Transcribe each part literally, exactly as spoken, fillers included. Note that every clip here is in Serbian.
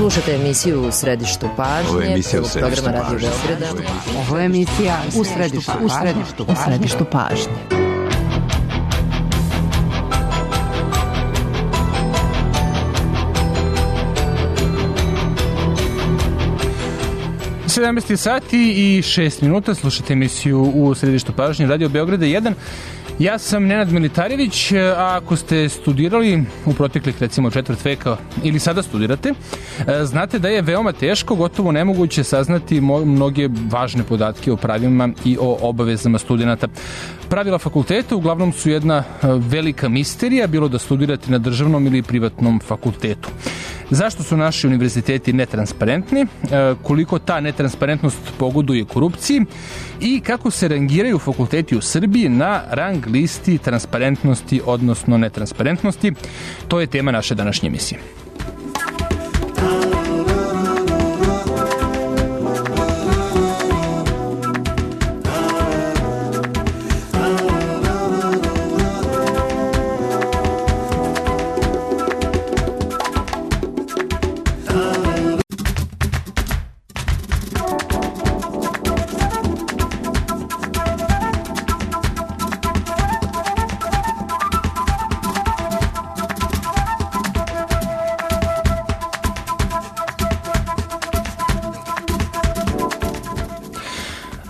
Slušate emisiju U središtu pažnje. Ovo je emisija U središtu pažnje. Ovo je emisija U središtu pažnje. U središtu pažnje. sedamnaest sati i šest minuta, slušate emisiju U središtu pažnje Radio Beograda jedan. Ja sam Nenad Militarević, a ako ste studirali u proteklih recimo četvrt veka ili sada studirate, znate da je veoma teško, gotovo nemoguće saznati mnoge važne podatke o pravima i o obavezama studenata. Pravila fakulteta uglavnom su jedna velika misterija, bilo da studirate na državnom ili privatnom fakultetu. Zašto su naši univerziteti netransparentni, koliko ta netransparentnost pogoduje korupciji i kako se rangiraju fakulteti u Srbiji na rang listi transparentnosti, odnosno netransparentnosti, to je tema naše današnje emisije.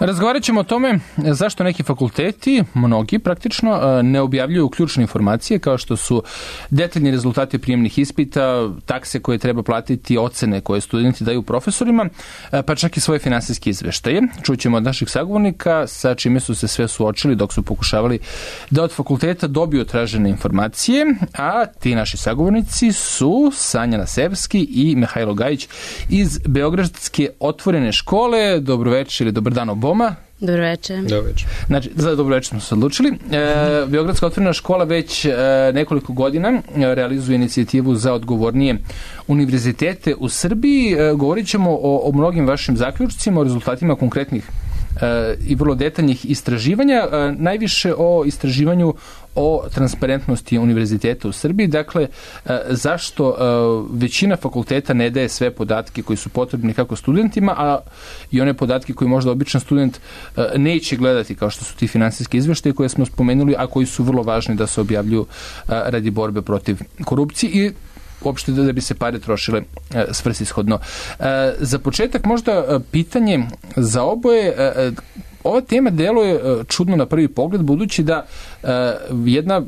Razgovarat ćemo o tome zašto neki fakulteti, mnogi praktično, ne objavljuju ključne informacije kao što su detaljni rezultati prijemnih ispita, takse koje treba platiti, ocene koje studenti daju profesorima, pa čak i svoje finansijske izveštaje. Čućemo od naših sagovornika sa čime su se sve suočili dok su pokušavali da od fakulteta dobiju tražene informacije, a ti naši sagovornici su Sanja Nasevski i Mihajlo Gajić iz Beogradske otvorene škole. Dobroveče ili dobar dan oboma. Dobro večer. Dobro večer. Znači, za dobro večer smo se odlučili. E, Beogradska otvorena škola već e, nekoliko godina realizuje inicijativu za odgovornije univerzitete u Srbiji. E, govorit ćemo o, o mnogim vašim zaključcima, o rezultatima konkretnih e, i vrlo detaljnih istraživanja, e, najviše o istraživanju o transparentnosti univerziteta u Srbiji. Dakle, zašto većina fakulteta ne daje sve podatke koji su potrebni kako studentima, a i one podatke koji možda običan student neće gledati, kao što su ti finansijski izveštaje koje smo spomenuli, a koji su vrlo važni da se objavljuju radi borbe protiv korupcije i uopšte da bi se pare trošile svrsishodno. Za početak možda pitanje za oboje. Ova tema deluje čudno na prvi pogled, budući da jedna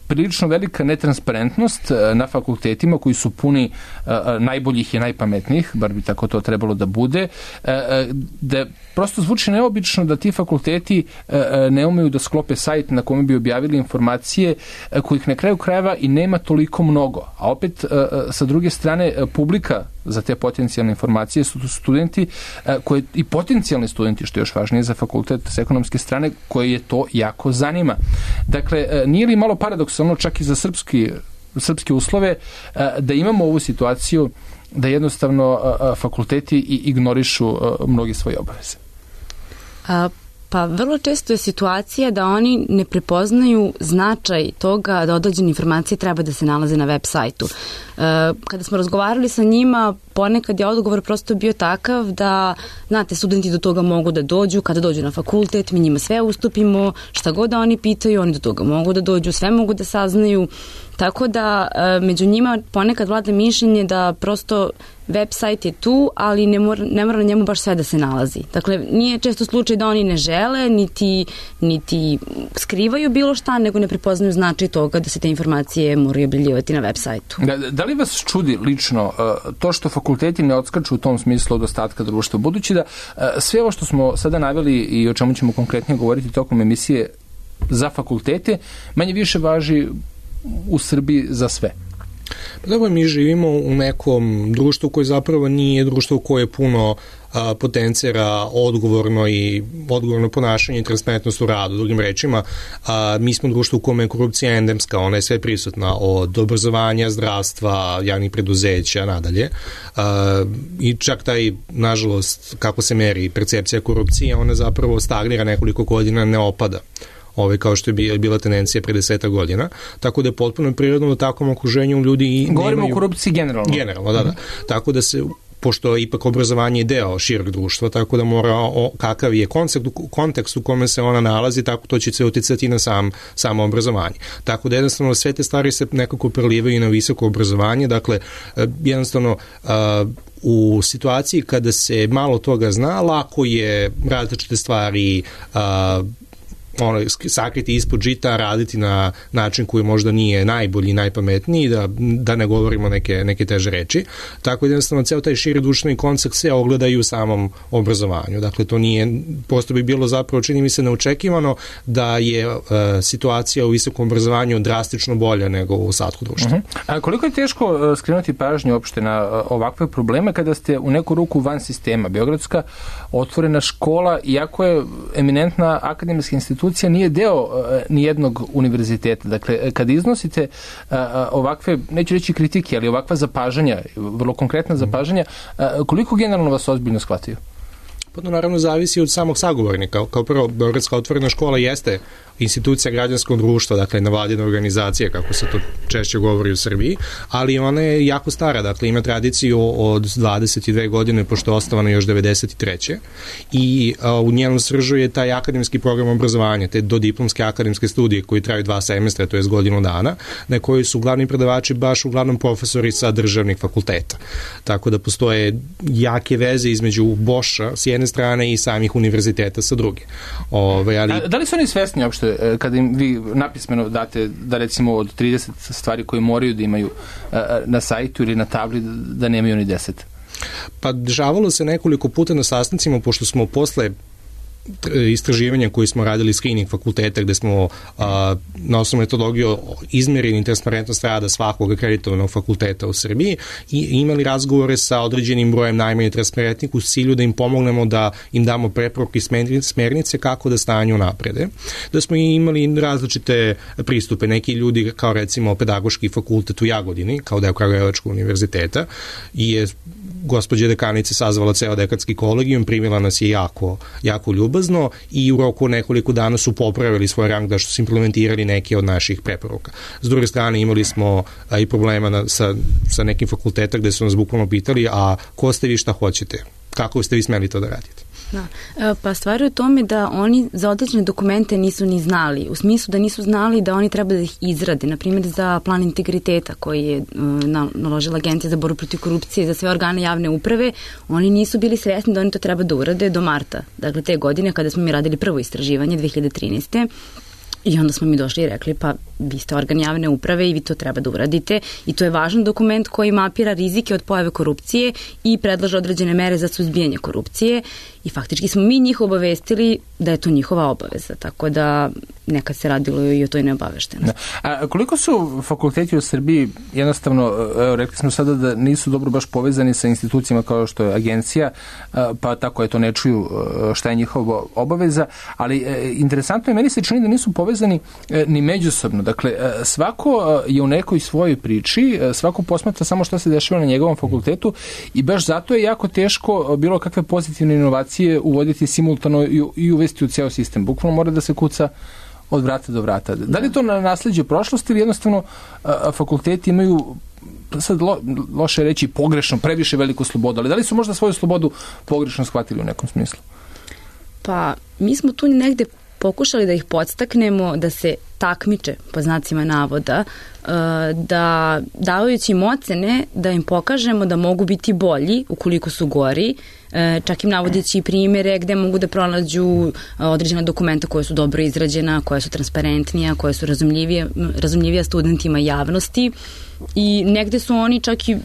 prilično velika netransparentnost na fakultetima koji su puni najboljih i najpametnijih, bar bi tako to trebalo da bude, da prosto zvuči neobično da ti fakulteti ne umeju da sklope sajt na kome bi objavili informacije kojih na kraju krajeva i nema toliko mnogo. A opet, sa druge strane, publika za te potencijalne informacije su studenti koje, i potencijalni studenti, što je još važnije za fakultet s ekonomske strane, koje je to jako zanima. Dakle, nije li malo paradoksalno čak i za srpski, srpske uslove da imamo ovu situaciju da jednostavno fakulteti ignorišu mnogi svoje obaveze? A, pa vrlo često je situacija da oni ne prepoznaju značaj toga da određene informacije treba da se nalaze na web sajtu. E, kada smo razgovarali sa njima, ponekad je odgovor prosto bio takav da, znate, studenti do toga mogu da dođu, kada dođu na fakultet, mi njima sve ustupimo, šta god da oni pitaju, oni do toga mogu da dođu, sve mogu da saznaju. Tako da među njima ponekad vlada mišljenje da prosto web sajt je tu, ali ne mora, ne mora na njemu baš sve da se nalazi. Dakle, nije često slučaj da oni ne žele, niti, niti skrivaju bilo šta, nego ne prepoznaju značaj toga da se te informacije moraju objavljivati na web sajtu. Da, da li vas čudi lično to što fakulteti ne odskaču u tom smislu od ostatka društva? Budući da sve ovo što smo sada naveli i o čemu ćemo konkretnije govoriti tokom emisije za fakultete, manje više važi u Srbiji za sve. Pa dobro, mi živimo u nekom društvu koje zapravo nije društvo koje puno a, potencira odgovorno i odgovorno ponašanje i transparentnost u radu. Drugim rečima, a, mi smo društvo u kome je korupcija endemska, ona je sve prisutna od obrazovanja, zdravstva, javnih preduzeća, nadalje. A, I čak taj, nažalost, kako se meri percepcija korupcije, ona zapravo stagnira nekoliko godina, ne opada. ovaj, kao što je bila tendencija pre deseta godina, tako da je potpuno prirodno da u takvom okruženju ljudi i govorimo nemaju... o korupciji generalno. Generalno, da, da. Tako da se pošto ipak obrazovanje je deo šireg društva, tako da mora o, kakav je koncept, kontekst u kome se ona nalazi, tako to će se uticati na sam, samo obrazovanje. Tako da jednostavno sve te stvari se nekako prelivaju na visoko obrazovanje, dakle jednostavno u situaciji kada se malo toga zna, lako je različite stvari ono, sakriti ispod žita, raditi na način koji možda nije najbolji, najpametniji, da, da ne govorimo neke, neke teže reči. Tako da jednostavno ceo taj širi društveni koncept se ogledaju u samom obrazovanju. Dakle, to nije, prosto bi bilo zapravo, čini mi se, neočekivano da je uh, situacija u visokom obrazovanju drastično bolja nego u ostatku društva. Uh-huh. A koliko je teško uh, skrenuti pažnju uopšte na uh, ovakve probleme kada ste u neku ruku van sistema? Beogradska otvorena škola, iako je eminentna akademijska institucija, nije deo uh, nijednog univerziteta. Dakle, kada iznosite uh, ovakve, neću reći kritike, ali ovakva zapažanja, vrlo konkretna zapažanja, uh, koliko generalno vas ozbiljno shvatio? Pa to naravno zavisi od samog sagovornika. Kao prvo, Beogradska otvorena škola jeste institucija građanskog društva, dakle nevladina organizacija, kako se to češće govori u Srbiji, ali ona je jako stara, dakle ima tradiciju od dvadeset dve godine, pošto je osnovana još devedeset treće i a, u njenom sržu je taj akademski program obrazovanja, te dodiplomske akademske studije koji traju dva semestra, to je godinu dana, na kojoj su glavni predavači baš uglavnom profesori sa državnih fakulteta. Tako da postoje jake veze između Boša s jedne strane i samih univerziteta sa druge. Ove, ali... A, da li su oni svesni uopšte kada im vi napismeno date da recimo od trideset stvari koje moraju da imaju na sajtu ili na tabli da nemaju ni deset? Pa dešavalo se nekoliko puta na sastancima, pošto smo posle istraživanja koji smo radili screening fakulteta gde smo a, na osnovu metodologiju izmerili transparentnost rada svakog akreditovanog fakulteta u Srbiji i imali razgovore sa određenim brojem najmanje transparentnih u cilju da im pomognemo da im damo preporuke i smernice kako da stanju naprede. Da smo imali različite pristupe. Neki ljudi kao recimo pedagoški fakultet u Jagodini kao deo Kragujevačkog univerziteta i je gospođa dekanica sazvala ceo dekatski kolegijum, primila nas je jako, jako ljubazno i u roku nekoliko dana su popravili svoj rang da što su implementirali neke od naših preporuka. S druge strane imali smo a, i problema na, sa, sa nekim fakulteta gde su nas bukvalno pitali, a ko ste vi, šta hoćete? Kako ste vi smeli to da radite? Da. Pa stvar je u tome da oni za određene dokumente nisu ni znali, u smislu da nisu znali da oni treba da ih izrade, na primjer za plan integriteta koji je naložila Agencija za borbu protiv korupcije za sve organe javne uprave, oni nisu bili svesni da oni to treba da urade do marta, dakle te godine kada smo mi radili prvo istraživanje dve hiljade trinaeste. I onda smo mi došli i rekli, pa vi ste organ javne uprave i vi to treba da uradite i to je važan dokument koji mapira rizike od pojave korupcije i predlaže određene mere za suzbijanje korupcije i faktički smo mi njih obavestili da je to njihova obaveza, tako da nekad se radilo i o toj neobaveštenosti. A koliko su fakulteti u Srbiji jednostavno, evo, rekli smo sada da nisu dobro baš povezani sa institucijama kao što je agencija, pa tako je to ne čuju šta je njihova obaveza, ali interesantno je, meni se čini da nisu povezani ni međusobno. Dakle, svako je u nekoj svojoj priči, svako posmatra samo što se dešava na njegovom fakultetu i baš zato je jako teško bilo kakve pozitivne inovacije uvoditi simultano i uvesti u ceo sistem. Bukvalno mora da se kuca od vrata do vrata. Da li je to na nasleđe prošlosti ili jednostavno a, fakulteti imaju, sad lo, loše reći pogrešno, previše veliku slobodu, ali da li su možda svoju slobodu pogrešno shvatili u nekom smislu? Pa, mi smo tu negde pokušali da ih podstaknemo da se takmiče, po znacima navoda, da davajući im ocene, da im pokažemo da mogu biti bolji ukoliko su gori, čak im navodeći primjere gde mogu da pronađu određena dokumenta koja su dobro izrađena, koja su transparentnija, koja su razumljivija, razumljivija studentima i javnosti i negde su oni čak i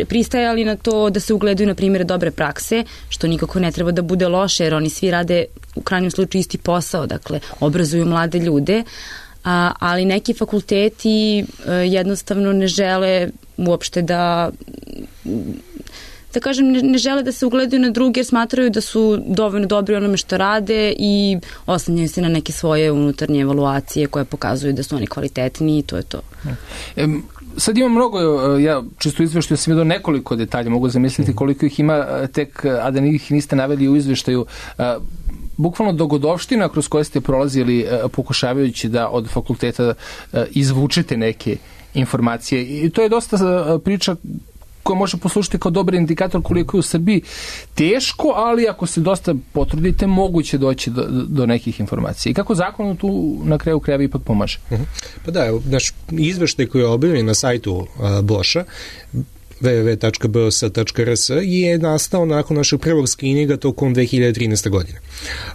pristajali na to da se ugledaju na primjere dobre prakse, što nikako ne treba da bude loše, jer oni svi rade u krajnjem slučaju isti posao, dakle obrazuju mlade ljude, a, ali neki fakulteti e, jednostavno ne žele uopšte da da kažem, ne, ne žele da se ugledaju na druge jer smatraju da su dovoljno dobri onome što rade i oslanjaju se na neke svoje unutarnje evaluacije koje pokazuju da su oni kvalitetni i to je to. E, sad ima mnogo, ja čisto u izveštaju sam vidio nekoliko detalja, mogu zamisliti koliko ih ima tek, a da ih niste naveli u izveštaju. bukvalno dogodovština kroz koje ste prolazili pokušavajući da od fakulteta izvučete neke informacije. I to je dosta priča koja može poslušati kao dobar indikator koliko je u Srbiji teško, ali ako se dosta potrudite, moguće doći do, do nekih informacija. I kako zakon tu na kraju krajeva ipak pomaže? Pa da, naš izveštaj koji je objavljen na sajtu uh, Boša, w w w tačka b o s tačka r s, je nastao nakon našeg prvog skrininga tokom dve hiljade trinaeste. godine.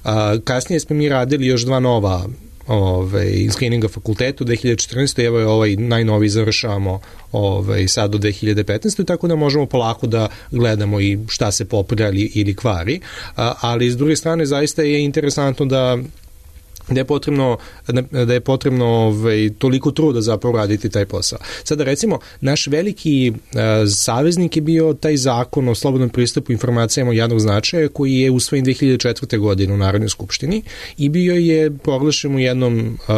A, kasnije smo mi radili još dva nova ovaj, skrininga fakultetu, dve hiljade četrnaeste. Evo je ovaj najnoviji završavamo ovaj, sad do dve hiljade petnaeste. Tako da možemo polako da gledamo i šta se popravlja ili kvari. A, ali s druge strane zaista je interesantno da da je potrebno, da je potrebno ovaj, toliko truda zapravo raditi taj posao. Sada recimo, naš veliki uh, saveznik je bio taj zakon o slobodnom pristupu informacijama od javnog značaja koji je usvojen dve hiljade četvrte. godine u Narodnoj skupštini i bio je proglašen u jednom uh,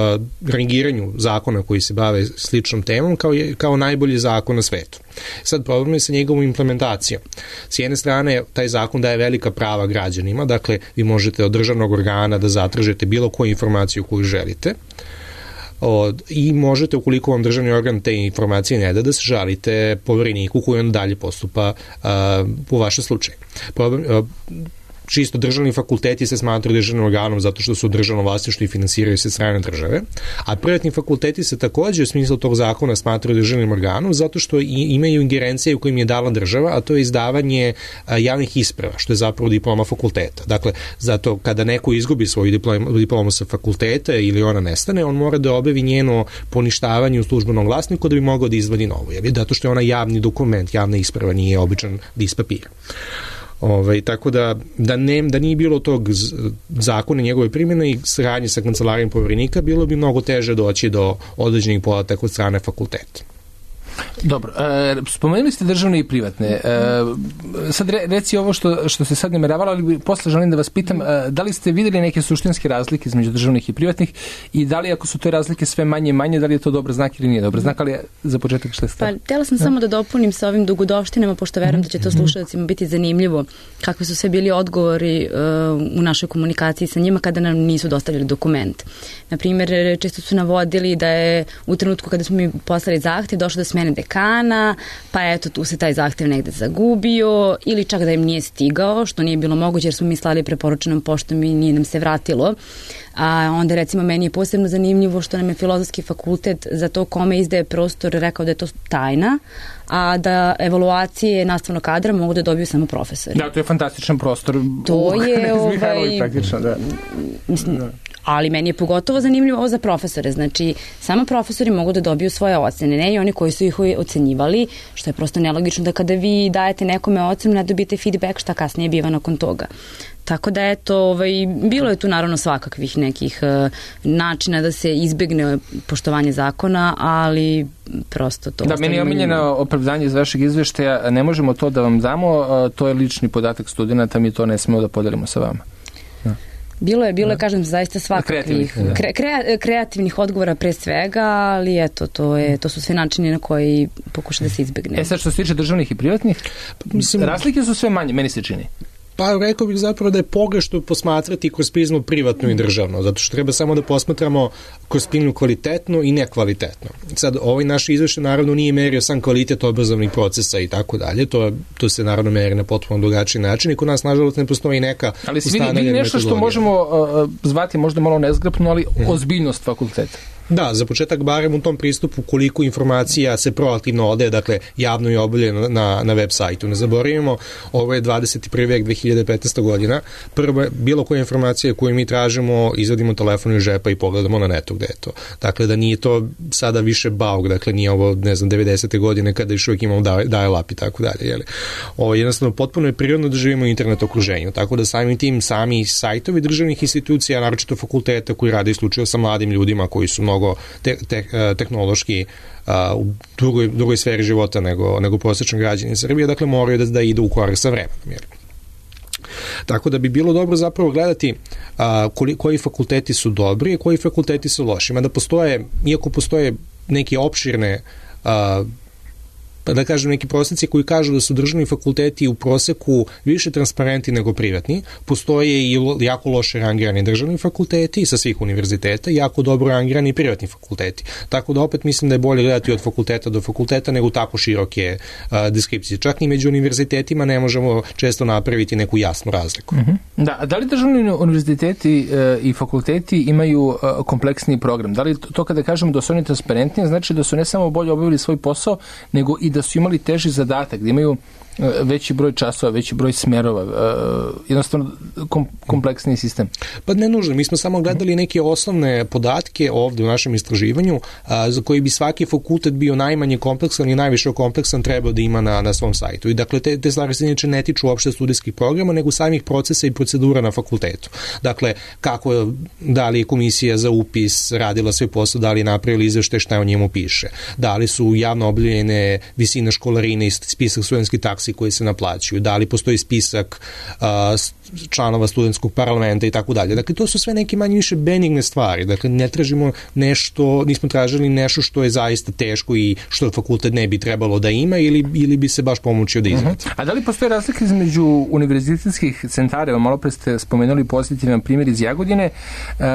rangiranju zakona koji se bave sličnom temom kao, je, kao najbolji zakon na svetu. Sad problem je sa njegovom implementacijom. S jedne strane, taj zakon daje velika prava građanima, dakle, vi možete od državnog organa da zatražite bilo koju informaciju koju želite od, i možete, ukoliko vam državni organ te informacije ne da, da se žalite povereniku koji on dalje postupa a, u vašem slučaju. Problem, a, čisto državni fakulteti se smatraju državnim organom zato što su državno vlasništvo i finansiraju se strane države, a privatni fakulteti se takođe u smislu tog zakona smatraju državnim organom zato što i, imaju ingerencije u kojim je dala država, a to je izdavanje a, javnih isprava, što je zapravo diploma fakulteta. Dakle, zato kada neko izgubi svoju diplomu, diplomu sa fakulteta ili ona nestane, on mora da objavi njeno poništavanje u službenom glasniku da bi mogao da izvadi novu, zato što je ona javni dokument, javna isprava, nije običan list papira. Ovaj, tako da, da, ne, da nije bilo tog zakona njegove primjene i saradnje sa kancelarijom poverenika, bilo bi mnogo teže doći do određenih podataka od strane fakulteta. Dobro, e, spomenuli ste državne i privatne. E, sad re, reci ovo što, što ste sad nameravala, ali posle želim da vas pitam, e, da li ste videli neke suštinske razlike između državnih i privatnih i da li ako su te razlike sve manje i manje, da li je to dobar znak ili nije dobar znak, ali za početak što je stav? Pa, htjela sam ja. samo da dopunim sa ovim dugodovštinama, pošto verujem da će to slušalcima biti zanimljivo, kakvi su sve bili odgovori uh, u našoj komunikaciji sa njima kada nam nisu dostavili dokument. Naprimjer, često su navodili da je u trenutku kada smo mi poslali zahtev došlo do smene dekana, pa eto tu se taj zahtev negde zagubio ili čak da im nije stigao, što nije bilo moguće jer smo mi slali preporučenom poštom i nije nam se vratilo. A onda recimo meni je posebno zanimljivo što nam je Filozofski fakultet za to kome izdaje prostor rekao da je to tajna, a da evaluacije nastavnog kadra mogu da dobiju samo profesori. Da, to je fantastičan prostor. To je ovaj... praktično, da. Mislim, da. Ali meni je pogotovo zanimljivo ovo za profesore. Znači, samo profesori mogu da dobiju svoje ocene, ne i oni koji su ih ocenjivali, što je prosto nelogično da kada vi dajete nekome ocenu, ne dobijete feedback šta kasnije biva nakon toga. Tako da eto, ovaj, bilo je tu naravno svakakvih nekih uh, načina da se izbegne poštovanje zakona, ali prosto to... Da, meni je omiljeno opravdanje iz vašeg izveštaja, ne možemo to da vam damo, uh, to je lični podatak studenta, mi to ne smemo da podelimo sa vama. Da. Bilo je, bilo je, kažem, zaista svakakvih kre, kre, kreativnih odgovora pre svega, ali eto, to, je, to su sve načini na koji pokuša da se izbegne. E sad što se tiče državnih i privatnih, mislim, razlike su sve manje, meni se čini. Pa rekao bih zapravo da je pogrešno posmatrati kroz prizmu privatno i državno, zato što treba samo da posmatramo kroz prizmu kvalitetno i nekvalitetno. Sad, ovaj naš izveštaj naravno nije merio sam kvalitet obrazovnih procesa i tako dalje, to, to se naravno meri na potpuno drugačiji način i kod nas nažalost ne postoji neka ali si vidi, vidi nešto što možemo uh, zvati možda malo nezgrapno, ali hmm. ozbiljnost fakulteta. Da, za početak barem u tom pristupu koliko informacija se proaktivno ode, dakle javno je objavljeno na, na web sajtu. Ne zaboravimo, ovo je dvadeset prvi vek, dve hiljade petnaesta. godina. Prvo, bilo koje informacije koju mi tražimo, izvadimo telefon iz žepa i pogledamo na netu gde je to. Dakle, da nije to sada više bauk, dakle nije ovo, ne znam, devedesete. godine kada još uvijek imamo dial-up i tako dalje. Jeli? Ovo, jednostavno, potpuno je prirodno da živimo u internet okruženju, tako da samim tim sami sajtovi državnih institucija, naročito fakulteta koji rade isključivo sa mladim ljudima koji su mnogo Te, te, tehnološki a, u drugoj, drugoj sferi života nego, nego prosječan građanin Srbije, dakle moraju da, da idu u korak sa vremenom. Tako da bi bilo dobro zapravo gledati a, koji, koji fakulteti su dobri i koji fakulteti su loši. Mada postoje, iako postoje neke opširne a, da kažem, neki prosjeci koji kažu da su državni fakulteti u proseku više transparentni nego privatni. Postoje i jako loše rangirani državni fakulteti sa svih univerziteta i jako dobro rangirani privatni fakulteti. Tako da opet mislim da je bolje gledati od fakulteta do fakulteta nego tako široke uh, deskripcije. Čak ni među univerzitetima ne možemo često napraviti neku jasnu razliku. Uh-huh. Da, a da li državni univerziteti uh, i fakulteti imaju uh, kompleksniji program? Da li to kada kažemo da su oni transparentniji, znači da su ne samo bolje obavili svoj posao, nego i da su imali teži zadatak, da imaju veći broj časova, veći broj smerova, uh, jednostavno kom, kompleksniji sistem? Pa ne nužno, mi smo samo gledali neke osnovne podatke ovde u našem istraživanju a, za koji bi svaki fakultet bio najmanje kompleksan i najviše kompleksan trebao da ima na, na svom sajtu. I dakle, te, te stvari se inače ne tiču uopšte studijskih programa, nego samih procesa i procedura na fakultetu. Dakle, kako, da li je komisija za upis radila svoj posao, da li je napravila izveštaj šta o njemu piše, da li su javno objavljene visine školarine i spisak studentskih taksi koji se naplaćuju, da li postoji spisak a, članova studentskog parlamenta i tako dalje. Dakle, to su sve neke manje više benigne stvari. Dakle, ne tražimo nešto, nismo tražili nešto što je zaista teško i što fakultet ne bi trebalo da ima ili, ili bi se baš pomoćio da izvedi. Uh-huh. A da li postoje razlike između univerzitetskih centara? Malo pre ste spomenuli pozitivan primjer iz Jagodine. Uh,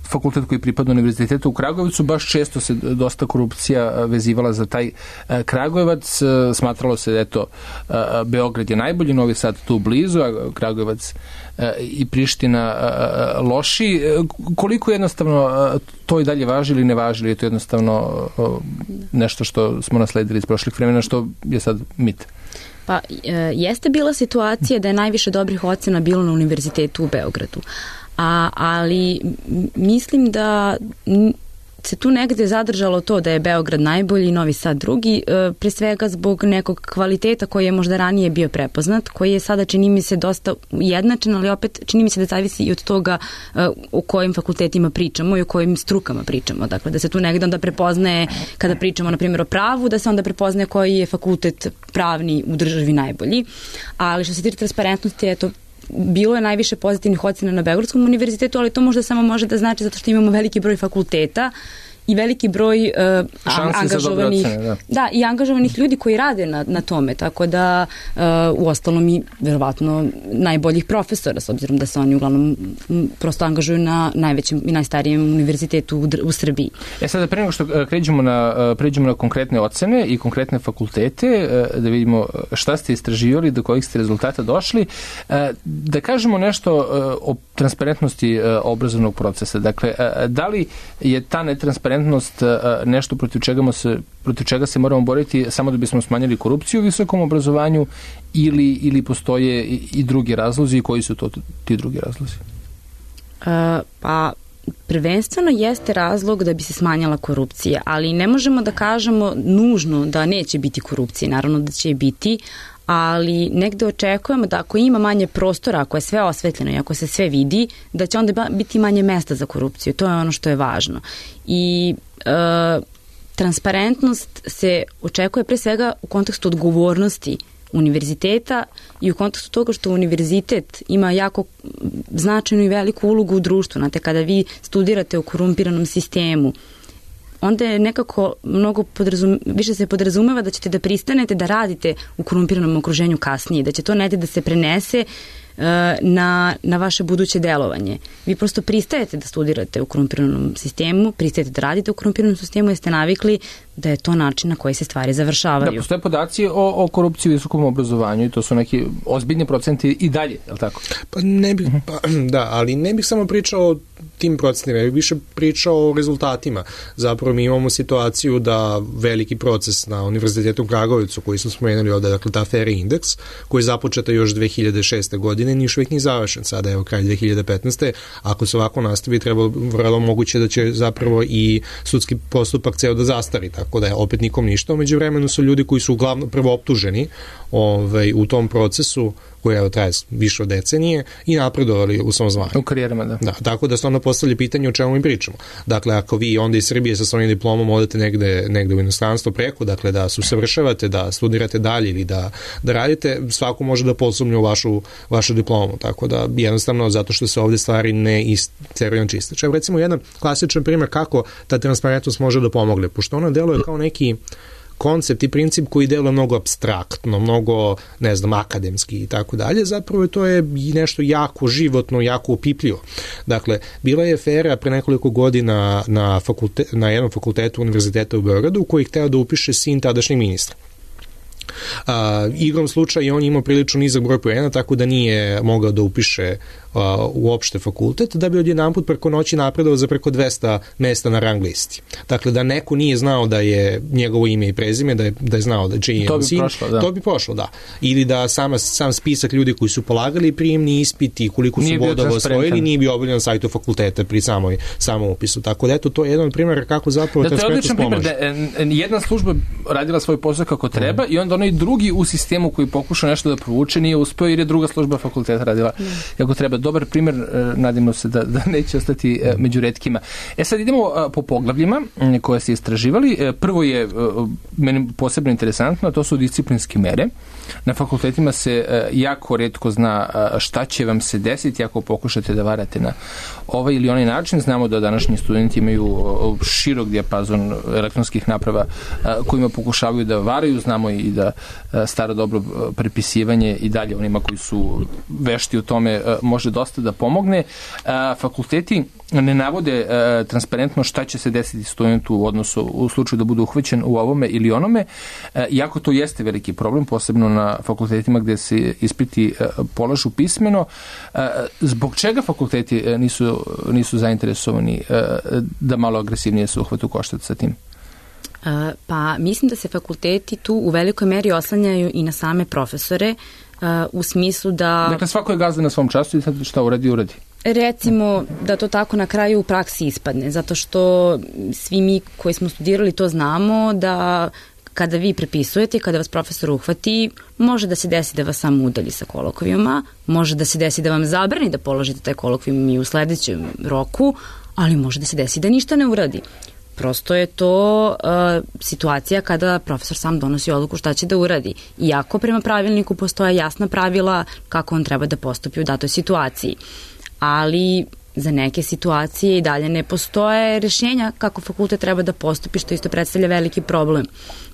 fakultet koji pripada univerzitetu u Kragujevcu, baš često se dosta korupcija vezivala za taj Kragujevac. Smatralo se da eto, Beograd je najbolji, Novi Sad tu blizu, a Kragujevac i Priština loši. Koliko jednostavno to i dalje važi ili ne važi, ili je to jednostavno nešto što smo nasledili iz prošlih vremena, što je sad mit? Pa, jeste bila situacija da je najviše dobrih ocena bilo na univerzitetu u Beogradu. A, ali mislim da se tu negde zadržalo to da je Beograd najbolji, Novi Sad drugi, e, pre svega zbog nekog kvaliteta koji je možda ranije bio prepoznat, koji je sada, čini mi se, dosta ujednačen, ali opet čini mi se da zavisi i od toga e, o kojim fakultetima pričamo i o kojim strukama pričamo. Dakle, da se tu negde onda prepoznaje, kada pričamo, na primjer, o pravu, da se onda prepoznaje koji je fakultet pravni u državi najbolji. Ali što se tiče transparentnosti, eto, bilo je najviše pozitivnih ocena na Beogradskom univerzitetu, ali to možda samo može da znači zato što imamo veliki broj fakulteta i veliki broj uh, angažovanih ocene, da. Da, i angažovanih ljudi koji rade na, na tome, tako da uh, u ostalom i verovatno najboljih profesora, s obzirom da se oni uglavnom m, prosto angažuju na najvećem i najstarijem univerzitetu u, u Srbiji. E sada, pre nego što pređemo na, pređemo na konkretne ocene i konkretne fakultete, da vidimo šta ste istraživali, do kojih ste rezultata došli, da kažemo nešto o transparentnosti obrazovnog procesa. Dakle, da li je ta netransparentnost nešto protiv čega se, protiv čega se moramo boriti samo da bismo smanjili korupciju u visokom obrazovanju ili, ili postoje i, i drugi razlozi i koji su to ti drugi razlozi? Uh, pa prvenstveno jeste razlog da bi se smanjala korupcija, ali ne možemo da kažemo nužno da neće biti korupcije, naravno da će biti, ali negde očekujemo da ako ima manje prostora, ako je sve osvetljeno i ako se sve vidi, da će onda biti manje mesta za korupciju. To je ono što je važno. I e, transparentnost se očekuje pre svega u kontekstu odgovornosti univerziteta i u kontekstu toga što univerzitet ima jako značajnu i veliku ulogu u društvu. Znate, kada vi studirate u korumpiranom sistemu, onda je nekako mnogo podrazum, više se podrazumeva da ćete da pristanete da radite u korumpiranom okruženju kasnije, da će to negde da se prenese uh, na, na vaše buduće delovanje. Vi prosto pristajete da studirate u korumpiranom sistemu, pristajete da radite u korumpiranom sistemu jer ste navikli da je to način na koji se stvari završavaju. Da, postoje podaci o, o korupciji u visokom obrazovanju i to su neki ozbiljni procenti i dalje, je li tako? Pa ne bih, pa, da, ali ne bih samo pričao o tim procentima, ja bih više pričao o rezultatima. Zapravo mi imamo situaciju da veliki proces na Univerzitetu u Kragujevcu koji smo spomenuli ovde, dakle ta Fair Index, koji je započeta još dve hiljade šeste. godine, ni još uvijek ni završen. Sada je kraj dve hiljade petnaeste. Ako se ovako nastavi, treba vrlo moguće da će zapravo i sudski postupak ceo da zastari, tako da je opet nikom ništa. Umeđu vremenu su ljudi koji su uglavnom prvo optuženi ovaj, u tom procesu koji je traje više od decenije i napredovali u svom zvanju. U karijerama, da. Da, tako da se onda postavlja pitanje o čemu mi pričamo. Dakle, ako vi onda iz Srbije sa svojim diplomom odete negde, negde u inostranstvo preko, dakle da se usavršavate, da studirate dalje ili da, da radite, svako može da posumnje u vašu, vašu diplomu. Tako da jednostavno zato što se ovde stvari ne isteruju na čiste. Čak recimo jedan klasičan primjer kako ta transparentnost može da pomogne, pošto ona deluje kao neki koncept i princip koji deluje mnogo apstraktno, mnogo, ne znam, akademski i tako dalje, zapravo to je i nešto jako životno, jako opipljivo. Dakle, bila je afera pre nekoliko godina na, fakulte, na jednom fakultetu Univerziteta u Beogradu koji je hteo da upiše sin tadašnjeg ministra. Uh, igrom slučaja on je imao prilično nizak broj poena, tako da nije mogao da upiše uh, uopšte fakultet, da bi odjedanput preko noći napredovao za preko dvesta mesta na rang listi. Dakle, da neko nije znao da je njegovo ime i prezime, da je, da je znao da je čiji je sin, prošlo, da. to bi prošlo, da. Ili da sama, sam spisak ljudi koji su polagali prijemni ispiti, koliko su bodova osvojili, nije bio objavljen na sajtu fakulteta pri samoj, samom upisu. Tako da, eto, to je jedan primjer kako zapravo da, transparentnost pomaže. Da, to je odličan primjer da jedna služba radila svoj posao kako treba mm. i onda onaj drugi u sistemu koji pokuša nešto da provuče nije uspeo jer je druga služba fakulteta radila mm. kako treba. Dobar primjer, nadimo se da, da neće ostati mm. među retkima. E sad idemo po poglavljima koje ste istraživali. Prvo je meni posebno interesantno, to su disciplinske mere. Na fakultetima se jako retko zna šta će vam se desiti ako pokušate da varate na ovaj ili onaj način. Znamo da današnji studenti imaju širok dijapazon elektronskih naprava kojima pokušavaju da varaju. Znamo i da staro dobro prepisivanje i dalje onima koji su vešti u tome može dosta da pomogne. Fakulteti ne navode uh, transparentno šta će se desiti studentu u odnosu u slučaju da bude uhvaćen u ovome ili onome, uh, iako to jeste veliki problem, posebno na fakultetima gde se ispiti uh, polažu pismeno. Uh, zbog čega fakulteti uh, nisu, nisu zainteresovani uh, da malo agresivnije se uhvatu koštac sa tim? Uh, pa mislim da se fakulteti tu u velikoj meri oslanjaju i na same profesore, uh, u smislu da... Dakle, svako je gazda na svom času i sad šta uradi, uradi. Recimo da to tako na kraju u praksi ispadne, zato što svi mi koji smo studirali to znamo da kada vi prepisujete, kada vas profesor uhvati, može da se desi da vas samo udalji sa kolokvijuma, može da se desi da vam zabrani da položite taj kolokvijum i u sledećem roku, ali može da se desi da ništa ne uradi. Prosto je to uh, situacija kada profesor sam donosi odluku šta će da uradi. Iako prema pravilniku postoje jasna pravila kako on treba da postupi u datoj situaciji. Ali za neke situacije i dalje ne postoje rešenja kako fakultet treba da postupi, što isto predstavlja veliki problem.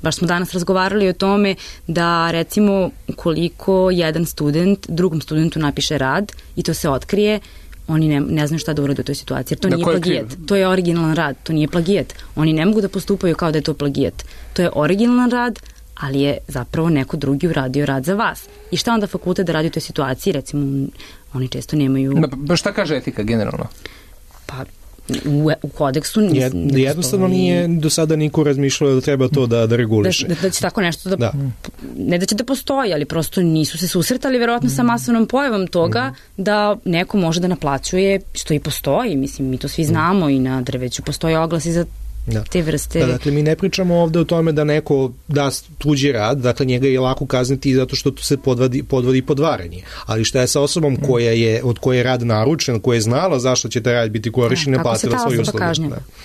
Baš smo danas razgovarali o tome da recimo ukoliko jedan student drugom studentu napiše rad i to se otkrije, oni ne, ne znaju šta da urade u toj situaciji, jer to da nije plagijat. To je originalan rad, to nije plagijat. Oni ne mogu da postupaju kao da je to plagijat. To je originalan rad, ali je zapravo neko drugi uradio rad za vas. I šta onda fakultet da radi u toj situaciji? Recimo, oni često nemaju... Pa šta kaže etika generalno? Pa u, u kodeksu... Jed, jednostavno nije do sada niko razmišljao da treba to da, da reguliše. Da, da će tako nešto da, da... Ne da će da postoji, ali prosto nisu se susretali verovatno sa masovnom pojavom toga mm. da neko može da naplaćuje, što i postoji. Mislim, mi to svi znamo mm. i na drveću postoje oglasi za Da. te vrste. Da, dakle, mi ne pričamo ovde o tome da neko da tuđi rad, dakle njega je lako kazniti zato što se podvodi, podvodi podvaranje. Ali šta je sa osobom koja je, od koje je rad naručen, koja je znala zašto će taj rad biti korišćen, ne platila svoju uslugu.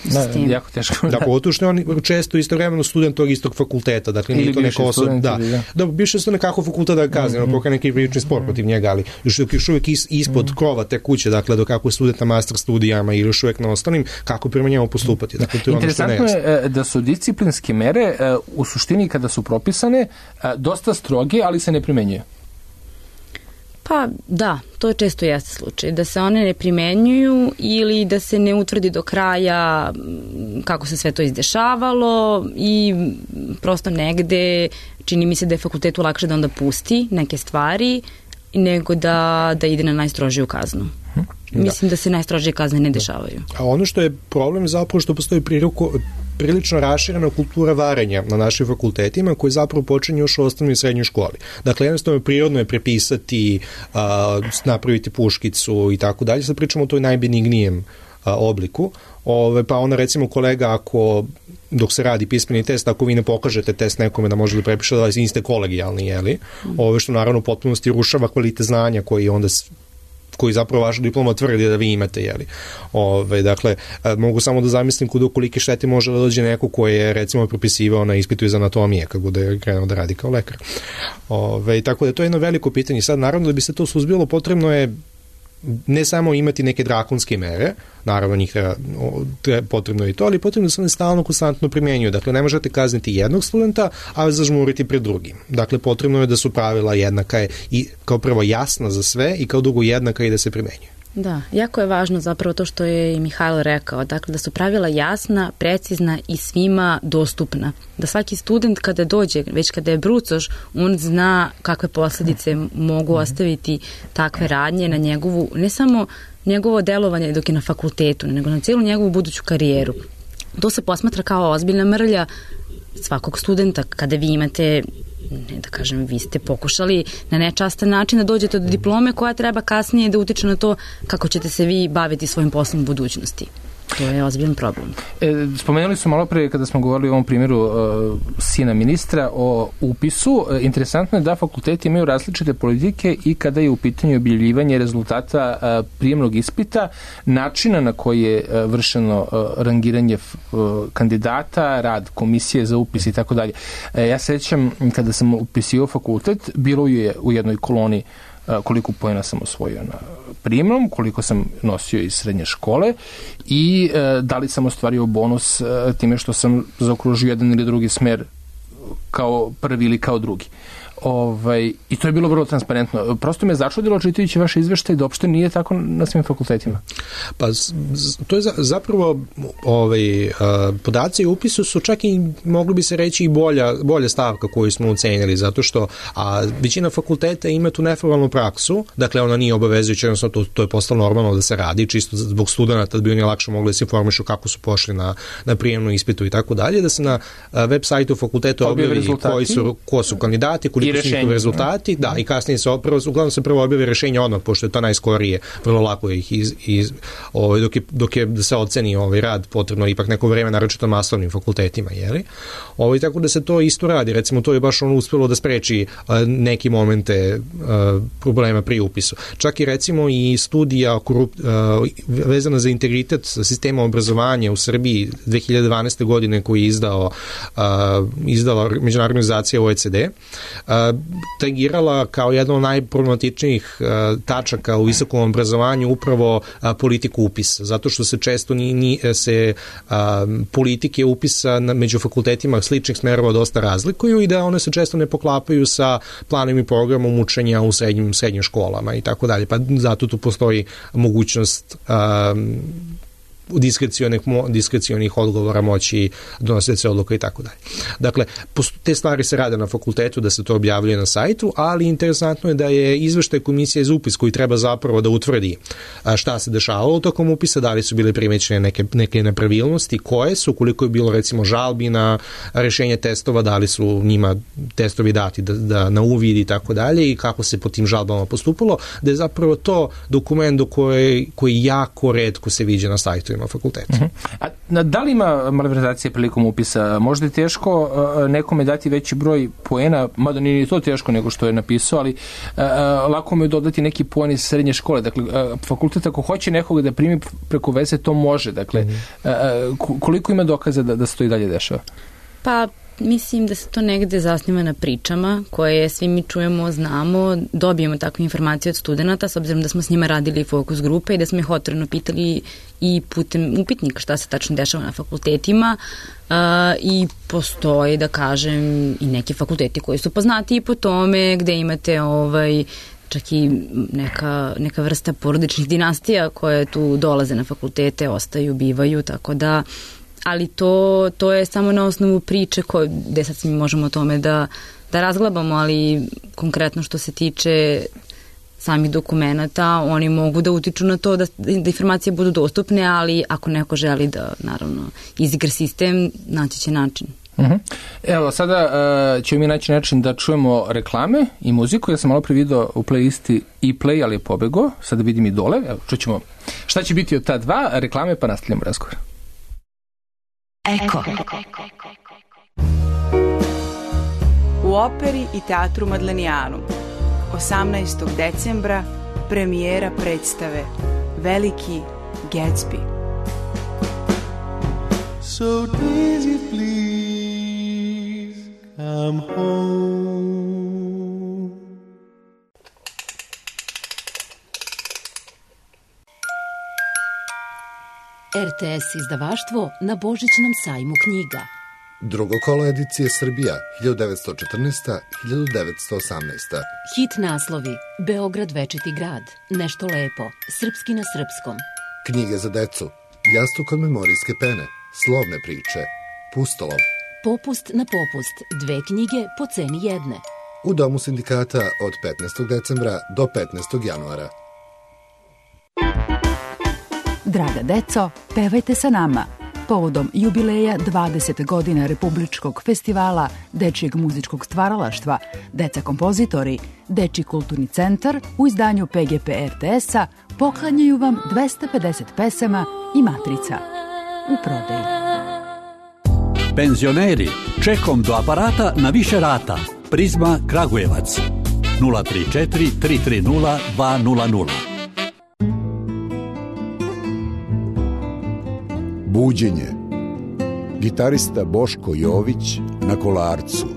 Da, da, jako teško. Da, pogotovo što je on često istovremeno student tog istog fakulteta, dakle nije to neka osoba. Da, da. da više su nekako fakultet da kaznimo, mm -hmm. pokaj neki prilični spor protiv njega, ali još, još uvijek is, ispod mm -hmm. krova te kuće, dakle do kako je student na master studijama ili još uvijek na ostalim, kako prema njemu postupati. Dakle, to je Interesantno je da su disciplinske mere u suštini kada su propisane dosta stroge, ali se ne primenjuju. Pa da, to često jeste slučaj, da se one ne primenjuju ili da se ne utvrdi do kraja kako se sve to izdešavalo i prosto negde čini mi se da je fakultetu lakše da onda pusti neke stvari nego da, da ide na najstrožiju kaznu. Da. Mislim da se najstrožije kazne ne dešavaju. A ono što je problem zapravo što postoji priliku, prilično raširena kultura varenja na našim fakultetima koji zapravo počinje još u osnovnoj i srednjoj školi. Dakle, jednostavno prirodno je prepisati, a, napraviti puškicu i tako dalje. Sad pričamo o toj najbenignijem a, obliku. Ove, pa ona recimo kolega ako dok se radi pismeni test, ako vi ne pokažete test nekome da može da prepiše da niste kolegijalni, jeli? Ove što naravno u potpunosti rušava kvalitet znanja koji onda koji zapravo vaša diploma tvrdi da vi imate, jeli. Ove, dakle, mogu samo da zamislim kuda kolike štete može da dođe neko koji je recimo prepisivao na ispitu iz anatomije kad bude krenuo da radi kao lekar. Ove, tako da to je jedno veliko pitanje. Sad, naravno, da bi se to suzbilo, potrebno je ne samo imati neke drakonske mere, naravno njih treba, potrebno je i to, ali potrebno da se one stalno konstantno primenjuju. Dakle, ne možete kazniti jednog studenta, a zažmuriti pred drugim. Dakle, potrebno je da su pravila jednaka i kao prvo jasna za sve i kao drugo jednaka i da se primenjuju. Da, jako je važno zapravo to što je i Mihajlo rekao, dakle da su pravila jasna, precizna i svima dostupna. Da svaki student kada dođe, već kada je brucoš, on zna kakve posledice mogu ostaviti takve radnje na njegovu, ne samo njegovo delovanje dok je na fakultetu, nego na cijelu njegovu buduću karijeru. To se posmatra kao ozbiljna mrlja svakog studenta kada vi imate, ne da kažem, vi ste pokušali na nečastan način da dođete do diplome koja treba kasnije da utiče na to kako ćete se vi baviti svojim poslom u budućnosti. To je ozbiljan problem. E, spomenuli su malo pre kada smo govorili o ovom primjeru uh, sina ministra o upisu. E, interesantno je da fakulteti imaju različite politike i kada je u pitanju objavljivanje rezultata uh, prijemnog ispita, načina na koji je uh, vršeno uh, rangiranje uh, kandidata, rad komisije za upis i tako dalje. E, ja sećam kada sam upisio fakultet, bilo je u jednoj koloni koliko poena sam osvojio na prijemnom, koliko sam nosio iz srednje škole i e, da li sam ostvario bonus e, time što sam zaokružio jedan ili drugi smer kao prvi ili kao drugi. Ovaj, i to je bilo vrlo transparentno. Prosto me začudilo čitajući vaše izveštaje da uopšte nije tako na svim fakultetima. Pa to je zapravo ovaj, podaci u upisu su čak i mogli bi se reći i bolja, bolja stavka koju smo ocenili, zato što a, većina fakulteta ima tu neformalnu praksu, dakle ona nije obavezujuća, jednostavno to, to je postalo normalno da se radi, čisto zbog studenta da bi oni lakše mogli da se informišu kako su pošli na, na prijemnu ispitu i tako dalje, da se na web sajtu fakulteta objavi koji su, ko su kandidati, koliko su njihovi rezultati, da, i kasnije se prvo, uglavnom se prvo objavi rešenje odmah, pošto je to najskorije, vrlo lako je ih iz, iz ovaj, dok, je, dok je da se oceni ovaj rad, potrebno ipak neko vreme, naročito masovnim fakultetima, jeli? Ovaj, tako da se to isto radi, recimo to je baš ono uspelo da spreči a, neki momente a, problema pri upisu. Čak i recimo i studija korup, a, vezana za integritet sistema obrazovanja u Srbiji dve hiljade dvanaeste. godine koji je izdao, a, izdala međunarodna organizacija O E C D, a, tagirala kao jedna od najproblematičnijih a, tačaka u visokom obrazovanju upravo a, politiku upisa, zato što se često ni, ni, se a, politike upisa na, među fakultetima sličnih smerova dosta razlikuju i da one se često ne poklapaju sa planom i programom učenja u srednjim, srednjim školama i tako dalje, pa zato tu postoji mogućnost a, diskrecionih, diskrecionih odgovora moći donositi se odluka i tako dalje. Dakle, te stvari se rade na fakultetu da se to objavljuje na sajtu, ali interesantno je da je izveštaj komisije za upis koji treba zapravo da utvrdi šta se dešavalo tokom upisa, da li su bile primećene neke, neke nepravilnosti, koje su, koliko je bilo recimo žalbi na rešenje testova, da li su njima testovi dati da, da na uvid i tako dalje i kako se po tim žalbama postupalo, da je zapravo to dokument do koje, koji jako retko se viđa na sajtu na fakultetu. Uh-huh. A da li ima malverzacije prilikom upisa? Možda je teško uh, nekome dati veći broj poena, mada nije to teško nego što je napisao, ali uh, lako mu je dodati neki poen iz srednje škole. Dakle, uh, fakultet ako hoće nekoga da primi preko veze, to može. Dakle, uh, koliko ima dokaza da, da se to i dalje dešava? Pa, mislim da se to negde zasniva na pričama koje svi mi čujemo, znamo, dobijemo takve informacije od studenta, s obzirom da smo s njima radili fokus grupe i da smo ih otvoreno pitali i putem upitnika šta se tačno dešava na fakultetima uh, i postoji, da kažem, i neki fakulteti koji su poznati i po tome gde imate ovaj čak i neka, neka vrsta porodičnih dinastija koje tu dolaze na fakultete, ostaju, bivaju, tako da ali to, to je samo na osnovu priče koje, gde sad mi možemo o tome da, da razglabamo, ali konkretno što se tiče samih dokumenta, oni mogu da utiču na to da, da informacije budu dostupne, ali ako neko želi da, naravno, izigra sistem, naći će način. Uh-huh. Evo, sada uh, ćemo mi naći način da čujemo reklame i muziku. Ja sam malo pre video u playlisti e-play, ali je pobego. Sada vidim i dole. Evo, čućemo šta će biti od ta dva reklame, pa nastavljamo razgovor. Eko. U operi i teatru Madlenijanu osamnaestog decembra premijera predstave Veliki Gatsby. So Daisy, please come home. R T S izdavaštvo na Božićnom sajmu knjiga. Drugo kolo edicije Srbija hiljadu devetsto četrnaesta do hiljadu devetsto osamnaesta. Hit naslovi: Beograd večiti grad, Nešto lepo, Srpski na srpskom. Knjige za decu: Jastuk od memorijske pene, Slovne priče, Pustolov. Popust na popust, dve knjige po ceni jedne. U Domu sindikata od petnaestog decembra do petnaestog januara. Draga deco, pevajte sa nama. Povodom jubileja dvadeset godina Republičkog festivala Dečijeg muzičkog stvaralaštva, Deca kompozitori, Dečiji kulturni centar u izdanju P G P R T S-a poklanjaju vam dvesta pedeset pesama i matrica. U prodaji. Penzioneri, čekom do aparata na više rata. Prizma Kragujevac. nula tri četiri tri tri nula dva nula nula. Buđenje. Gitarista Boško Jović na Kolarcu.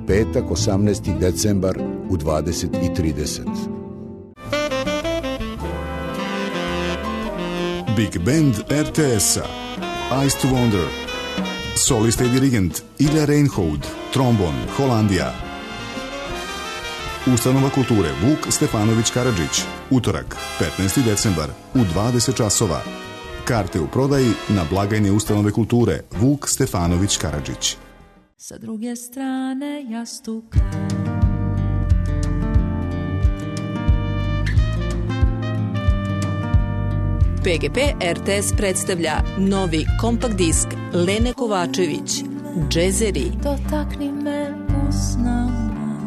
Petak, osamnaesti decembar u dvadeset i trideset. Big Band R T S-a. Eyes to Wonder. Solista i dirigent Ilja Reinhold, trombon, Holandija. Ustanova kulture Vuk Stefanović Karadžić. Utorak, petnaesti decembar u dvadeset časova. Karte u prodaji na blagajni Ustanove kulture Vuk Stefanović Karadžić. Sa druge strane jastuka. P G P R T S predstavlja novi kompakt disk Lene Kovačević, Džezeri. Dotakni me usnama.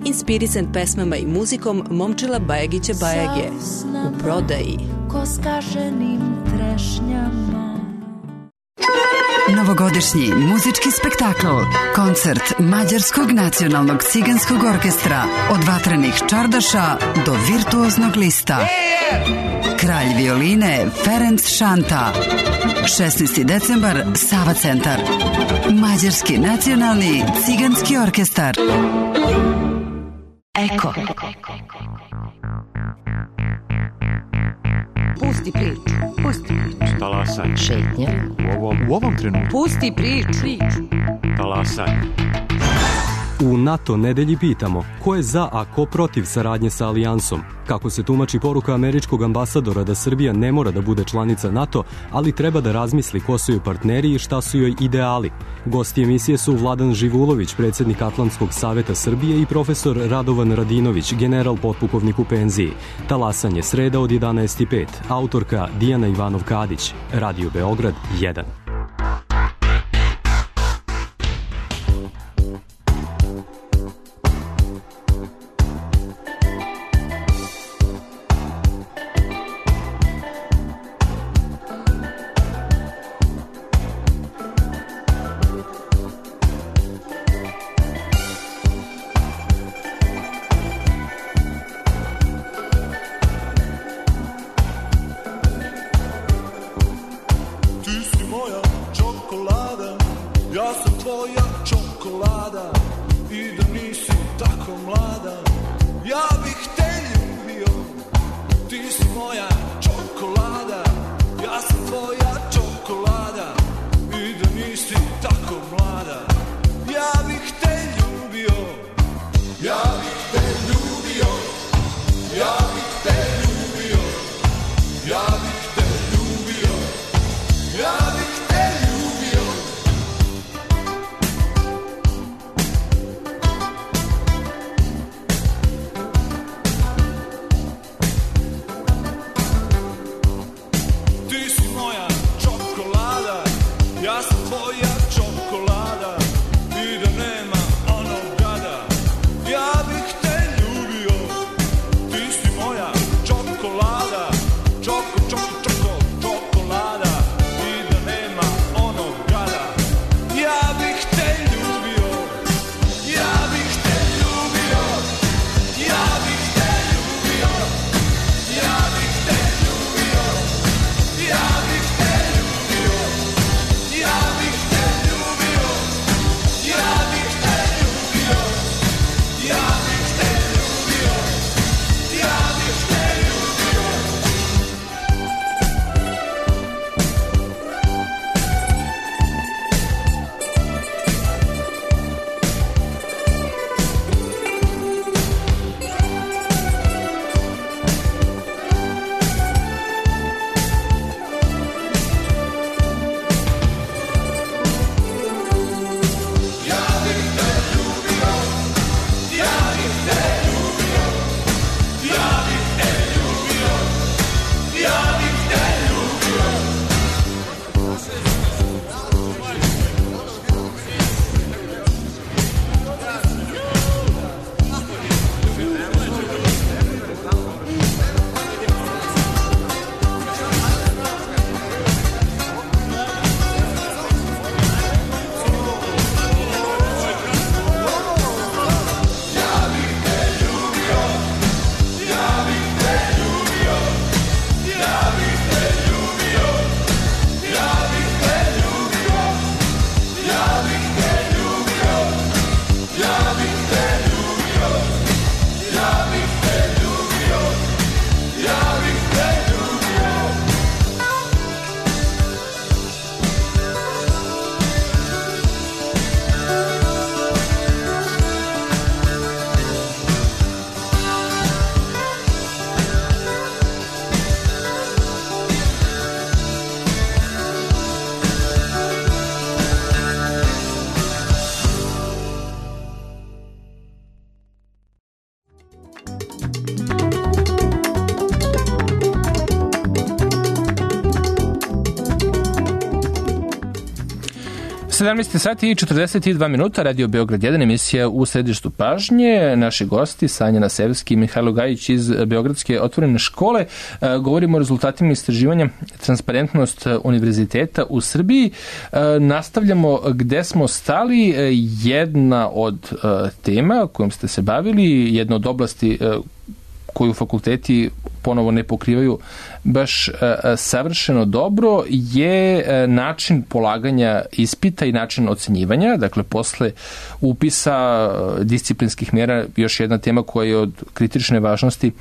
Inspirisan pesmama i muzikom Momčila Bajagića Bajage. U prodaji. Ko skaženim trešnjama. Novogodišnji muzički spektakl, koncert Mađarskog nacionalnog ciganskog orkestra, od vatrenih čardaša do virtuoznog lista. Kralj violine Ferenc Šanta. šesnaesti decembar, Sava centar. Mađarski nacionalni ciganski orkestar. Eko. Pusti priču, pusti priču. Talasanje. Šetnja. U ovom, u ovom trenutku. Pusti priču. Talasanje. U NATO nedelji pitamo ko je za, a ko protiv saradnje sa Alijansom. Kako se tumači poruka američkog ambasadora da Srbija ne mora da bude članica NATO, ali treba da razmisli ko su joj partneri i šta su joj ideali. Gosti emisije su Vladan Živulović, predsjednik Atlantskog saveta Srbije, i profesor Radovan Radinović, general potpukovnik u penziji. Talasanje, sreda od jedanaest i pet. Autorka Dijana Ivanov-Kadić. Radio Beograd jedan. sedamnaest sati i četrdeset dva minuta, Radio Beograd jedan, emisija u središtu pažnje. Naši gosti, Sanjana Sevski i Mihajlo Gajić iz Beogradske otvorene škole. Govorimo o rezultatima istraživanja Transparentnost univerziteta u Srbiji. Nastavljamo gde smo stali. Jedna od tema kojom ste se bavili, jedna od oblasti koju fakulteti ponovo ne pokrivaju baš savršeno dobro, je način polaganja ispita i način ocenjivanja. Dakle, posle upisa disciplinskih mjera, još jedna tema koja je od kritične važnosti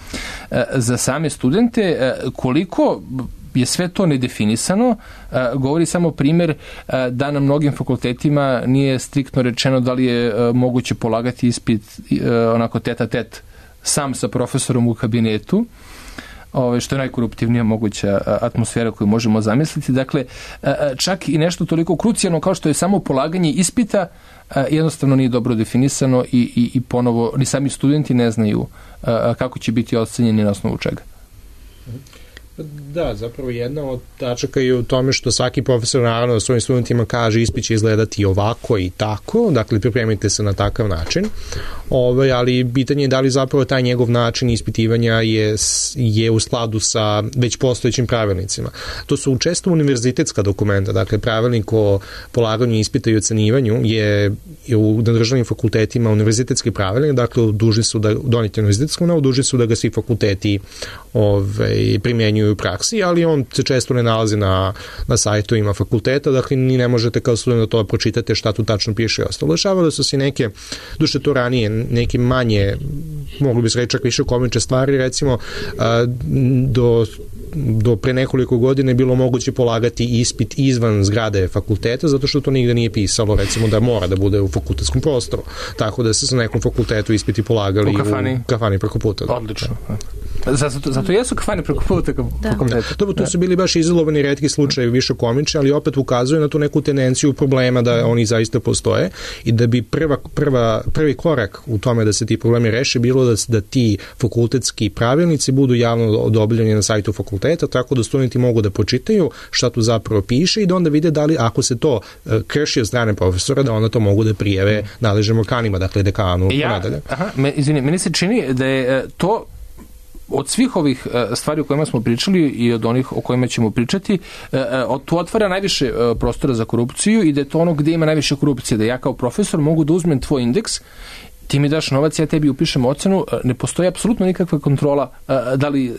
za same studente. Koliko je sve to nedefinisano, govori samo primer da na mnogim fakultetima nije striktno rečeno da li je moguće polagati ispit onako tete a tete sam sa profesorom u kabinetu, ove, što je najkoruptivnija moguća atmosfera koju možemo zamisliti. Dakle, čak i nešto toliko krucijalno kao što je samo polaganje ispita jednostavno nije dobro definisano i, i, i ponovo ni sami studenti ne znaju kako će biti ocenjeni na osnovu čega. Da, zapravo jedna od tačaka je u tome što svaki profesor naravno svojim studentima kaže ispit će izgledati ovako i tako, dakle pripremite se na takav način, Ove, ali pitanje je da li zapravo taj njegov način ispitivanja je, je u skladu sa već postojećim pravilnicima. To su često univerzitetska dokumenta, dakle pravilnik o polaganju ispita i ocenivanju je, je u državnim fakultetima univerzitetski pravilnik, dakle dužni su da doneti univerzitetskom novu, dužni su da ga svi fakulteti ove, primjenjuju u praksi, ali on se često ne nalazi na, na sajtovima fakulteta, dakle ni ne možete kao student da to pročitate šta tu tačno piše i ostalo. Dešavalo su se neke, duše to ranije, neke manje, mogli bi se reći čak više komične stvari, recimo do do pre nekoliko godina je bilo moguće polagati ispit izvan zgrade fakulteta, zato što to nigde nije pisalo, recimo da mora da bude u fakultetskom prostoru. Tako da se sa nekom fakultetu ispiti polagali u kafani, u kafani preko puta. Da. Odlično. Zato, zato jesu kafani preko puta fakulteta. Dobro, to su bili baš izolovani retki slučajevi, više komični, ali opet ukazuje na tu neku tendenciju problema da oni zaista postoje i da bi prva, prva, prvi korak u tome da se ti problemi reše bilo da, da ti fakultetski pravilnici budu javno odobljeni na sajtu fakulteta, tako da studenti mogu da pročitaju šta tu zapravo piše i da onda vide da li ako se to krši od strane profesora, da onda to mogu da prijave nadležnim organima, dakle dekanu. Ja, aha, me, izvini, meni se čini da je to od svih ovih stvari o kojima smo pričali i od onih o kojima ćemo pričati, tu otvara najviše prostora za korupciju i da je to ono gde ima najviše korupcije, da ja kao profesor mogu da uzmem tvoj indeks, ti mi daš novac, ja tebi upišem ocenu, ne postoji apsolutno nikakva kontrola da li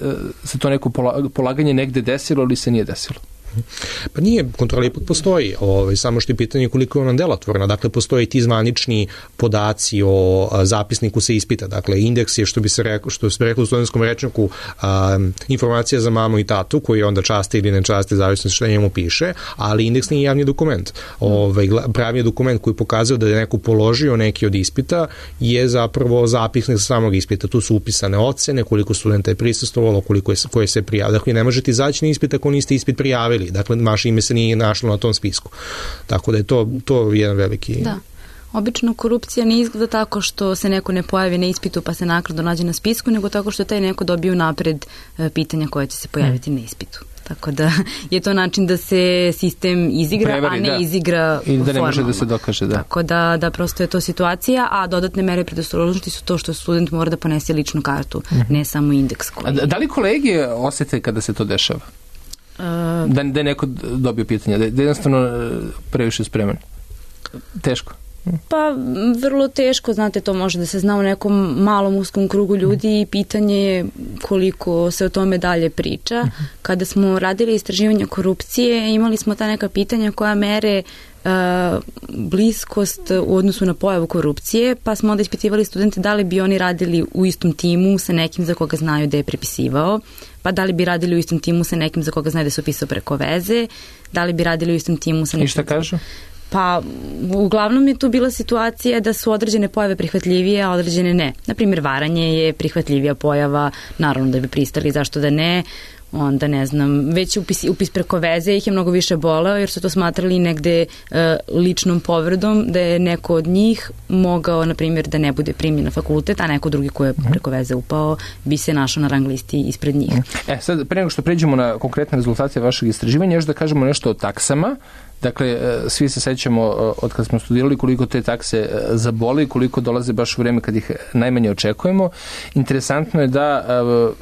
se to neko polaganje negde desilo ili se nije desilo. Pa nije, kontrola ipak postoji, ovaj, samo što je pitanje koliko je ona delotvorna, dakle postoji ti zvanični podaci o a, zapisniku se ispita, dakle indeks je što bi se reklo, što se reklo u studentskom rečniku a, informacija za mamu i tatu koji onda časti ili ne časti, zavisno što njemu piše, ali indeks nije javni dokument. Ovaj, pravi je dokument koji pokazuje da je neko položio neki od ispita je zapravo zapisnik sa samog ispita, tu su upisane ocene, koliko studenta je prisustvovalo, koliko je, koje se prijavilo, dakle ne možete izaći na ispit ako niste ispit prijavili. Dakle, vaše ime se nije našlo na tom spisku. Tako da je to, to jedan veliki... Da. Obično korupcija ne izgleda tako što se neko ne pojavi na ispitu pa se naknadno nađe na spisku, nego tako što taj neko dobije napred pitanja koje će se pojaviti hmm. na ispitu. Tako da je to način da se sistem izigra, Prevari, a ne da. izigra i da ne formalno. Može da se dokaže, da. Tako da, da prosto je to situacija, a dodatne mere predostrožnosti su to što student mora da ponese ličnu kartu, hmm. ne samo indeks. Koji... Da, da li kolege osete kada se to dešava? Da, da je neko dobio pitanja, da je jednostavno previše spreman. Teško. Pa vrlo teško, znate, to može da se zna u nekom malom uskom krugu ljudi i pitanje je koliko se o tome dalje priča. Kada smo radili istraživanje korupcije, imali smo ta neka pitanja koja mere uh, bliskost u odnosu na pojavu korupcije, pa smo onda ispitivali studente da li bi oni radili u istom timu sa nekim za koga znaju da je prepisivao, pa da li bi radili u istom timu sa nekim za koga znaju da su pisao preko veze, da li bi radili u istom timu sa nekim... I šta kažu? Pa, uglavnom je tu bila situacija da su određene pojave prihvatljivije, a određene ne. Naprimjer, varanje je prihvatljivija pojava, naravno da bi pristali, zašto da ne, onda ne znam, već upis, upis preko veze ih je mnogo više boleo jer su to smatrali negde e, ličnom povredom, da je neko od njih mogao, na primjer, da ne bude primljen na fakultet, a neko drugi ko je preko veze upao bi se našao na rang listi ispred njih. E, sad, pre nego što pređemo na konkretne rezultate vašeg istraživanja, još da kažemo nešto o taksama. Dakle, svi se sećamo od kad smo studirali koliko te takse zaboli, koliko dolaze baš u vreme kad ih najmanje očekujemo. Interesantno je da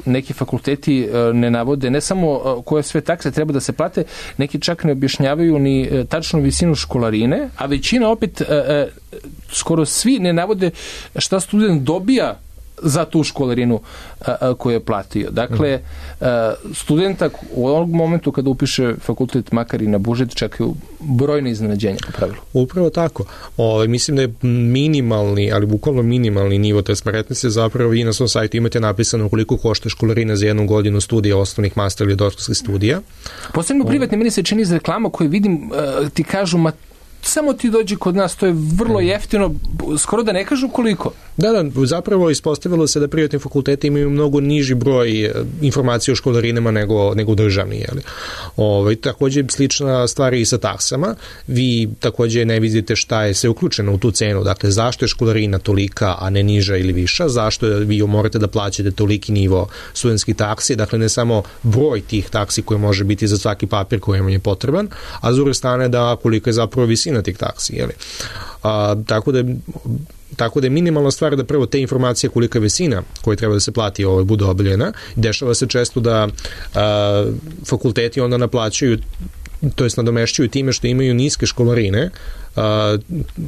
neki fakulteti ne navode ne samo koje sve takse treba da se plate, neki čak ne objašnjavaju ni tačnu visinu školarine, a većina opet, skoro svi ne navode šta student dobija za tu školarinu a, a, koju je platio. Dakle, a, studenta u ovom momentu kada upiše fakultet, makar i na budžet, čekaju brojne iznenađenja po pravilu. Upravo tako. O, mislim da je minimalni, ali bukvalno minimalni nivo transparentnosti, zapravo vi na svom sajtu imate napisano koliko košta školarina za jednu godinu studija osnovnih, master ili doktorskih studija. Posebno privatne, meni se čini iz reklama koje vidim, a, ti kažu, ma samo ti dođi kod nas, to je vrlo jeftino, skoro da ne kažu koliko. Da, da, zapravo ispostavilo se da privatni fakulteti imaju mnogo niži broj informacija o školarinama nego, nego državni. Jeli? Ovaj, takođe, slična stvar i sa taksama. Vi takođe ne vidite šta je sve uključeno u tu cenu. Dakle, zašto je školarina tolika, a ne niža ili viša? Zašto je, vi morate da plaćate toliki nivo studentskih taksi? Dakle, ne samo broj tih taksi koji može biti za svaki papir koji vam je potreban, a s druge strane da kolika je zapravo visina tih taksi. Jeli? A, tako da Tako da je minimalna stvar da prvo te informacije kolika je visina koja treba da se plati ovaj, bude objavljena. Dešava se često da a, fakulteti onda naplaćuju, to jest nadomešćuju time što imaju niske školarine, a,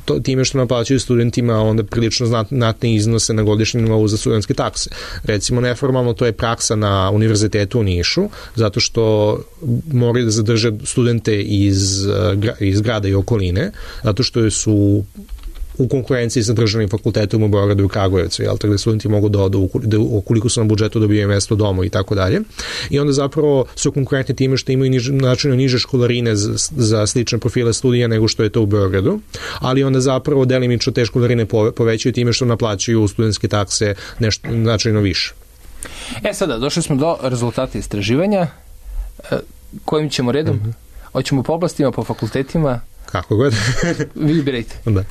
to, time što naplaćuju studentima onda prilično znatne iznose na godišnjem nivou za studentske takse. Recimo neformalno to je praksa na univerzitetu u Nišu, zato što moraju da zadrže studente iz, iz grada i okoline, zato što su u konkurenciji sa državnim fakultetom u Beogradu i Kragujevcu, jel, tako da studenti mogu da odu, da, ukoliko su na budžetu dobijaju mesto domu i tako dalje. I onda zapravo su konkurentni time što imaju niž, načinu niže školarine za, za slične profile studija nego što je to u Beogradu, ali onda zapravo delimično te školarine povećaju time što naplaćuju studentske takse nešto značajno više. E sada, došli smo do rezultata istraživanja. Kojim ćemo redom? Mm-hmm. Hoćemo po oblastima, po fakultetima? Kako god. Vi birajte. Da.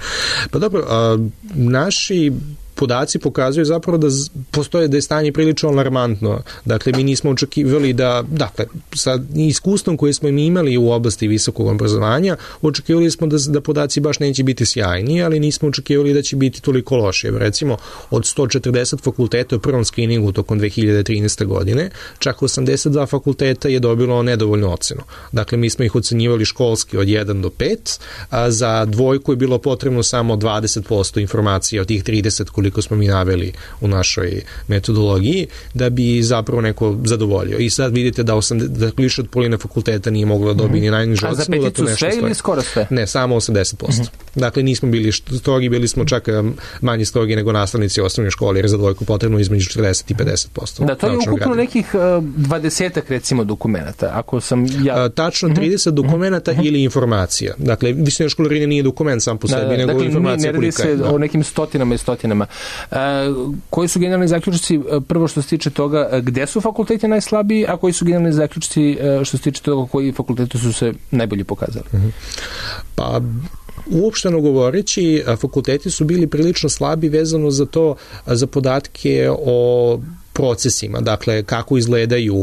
Pa dobro, a, naši podaci pokazuju zapravo da postoje da je stanje prilično alarmantno. Dakle, mi nismo očekivali da, dakle, sa iskustvom koje smo mi imali u oblasti visokog obrazovanja, očekivali smo da, da podaci baš neće biti sjajni, ali nismo očekivali da će biti toliko loše. Recimo, od sto četrdeset fakulteta u prvom skriningu tokom dve hiljade trinaeste. godine, čak osamdeset dva fakulteta je dobilo nedovoljnu ocenu. Dakle, mi smo ih ocenjivali školski od jedan do pet, a za dvojku je bilo potrebno samo dvadeset posto informacija od tih trideset koliko smo mi naveli u našoj metodologiji, da bi zapravo neko zadovoljio. I sad vidite da, osamdeset, da više od polovine fakulteta nije moglo da dobije ni najnižu ocenu. A za peticu sve stoji. Ili skoro sve? Ne, samo osamdeset posto. Mm-hmm. Dakle, nismo bili strogi, bili smo čak manje strogi nego nastavnici osnovne škole, jer za dvojku potrebno između četrdeset i pedeset posto. Da, to je ukupno grada. Nekih dvadesetak recimo dokumenta. Ako sam ja... A, tačno trideset mm-hmm. dokumenta mm-hmm. ili informacija. Dakle, visina školarine nije dokument sam po sebi, da, nego dakle, informacija kolika je. Ne radi se o nekim stotinama i stotinama. E, koji su generalni zaključci, prvo što se tiče toga gde su fakulteti najslabiji, a koji su generalni zaključci što se tiče toga koji fakulteti su se najbolje pokazali? Mm-hmm. Pa uopšteno govoreći, fakulteti su bili prilično slabi vezano za to, za podatke o procesima, dakle kako izgledaju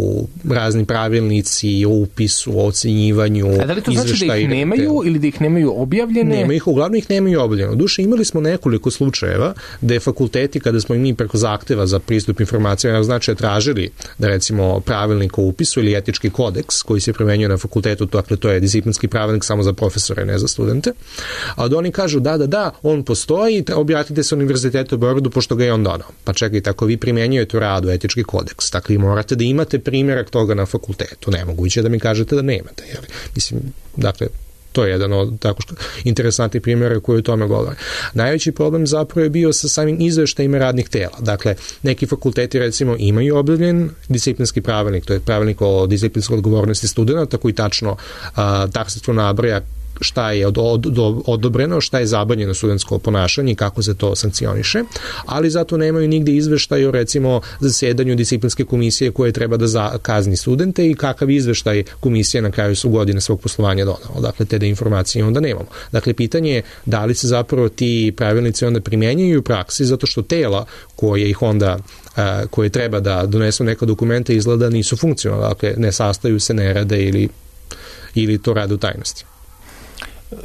razni pravilnici o upisu, o ocenjivanju, izveštaji. A da li to znači da ih nemaju ili da ih nemaju objavljene? Nema ih, uglavnom ih nemaju objavljeno. Duše, imali smo nekoliko slučajeva da je fakulteti, kada smo i mi preko zahteva za pristup informacijama, znači tražili da recimo pravilnik o upisu ili etički kodeks koji se primenjuje na fakultetu, dakle to je disciplinski pravilnik samo za profesore, ne za studente, a da oni kažu da, da, da, on postoji, objavite se univerzitetu u Beogradu pošto ga je on donao. Pa čekajte, ako vi primenjujete u radu etički kodeks, dakle vi morate da imate primjerak toga na fakultetu. Nemoguće da mi kažete da nemate. Jel? Mislim, dakle, to je jedan od tako što interesantnih primjera koji o tome govore. Najveći problem zapravo je bio sa samim izveštajima radnih tela. Dakle, neki fakulteti recimo imaju objavljen disciplinski pravilnik, to je pravilnik o disciplinskoj odgovornosti studenta, koji tačno taksativno nabraja šta je od, od, od, odobreno, šta je zabranjeno studentsko ponašanje i kako se to sankcioniše, ali zato nemaju nigde izveštaj o recimo zasedanju disciplinske komisije koje treba da za, kazni studente i kakav izveštaj komisije na kraju su godine svog poslovanja donao. Dakle, te da informacije onda nemamo. Dakle, pitanje je da li se zapravo ti pravilnici onda primjenjuju u praksi, zato što tela koje ih onda a, koje treba da donesu neka dokumenta izgleda nisu funkcionalne, dakle, ne sastaju se, ne rade ili, ili to rade u tajnosti.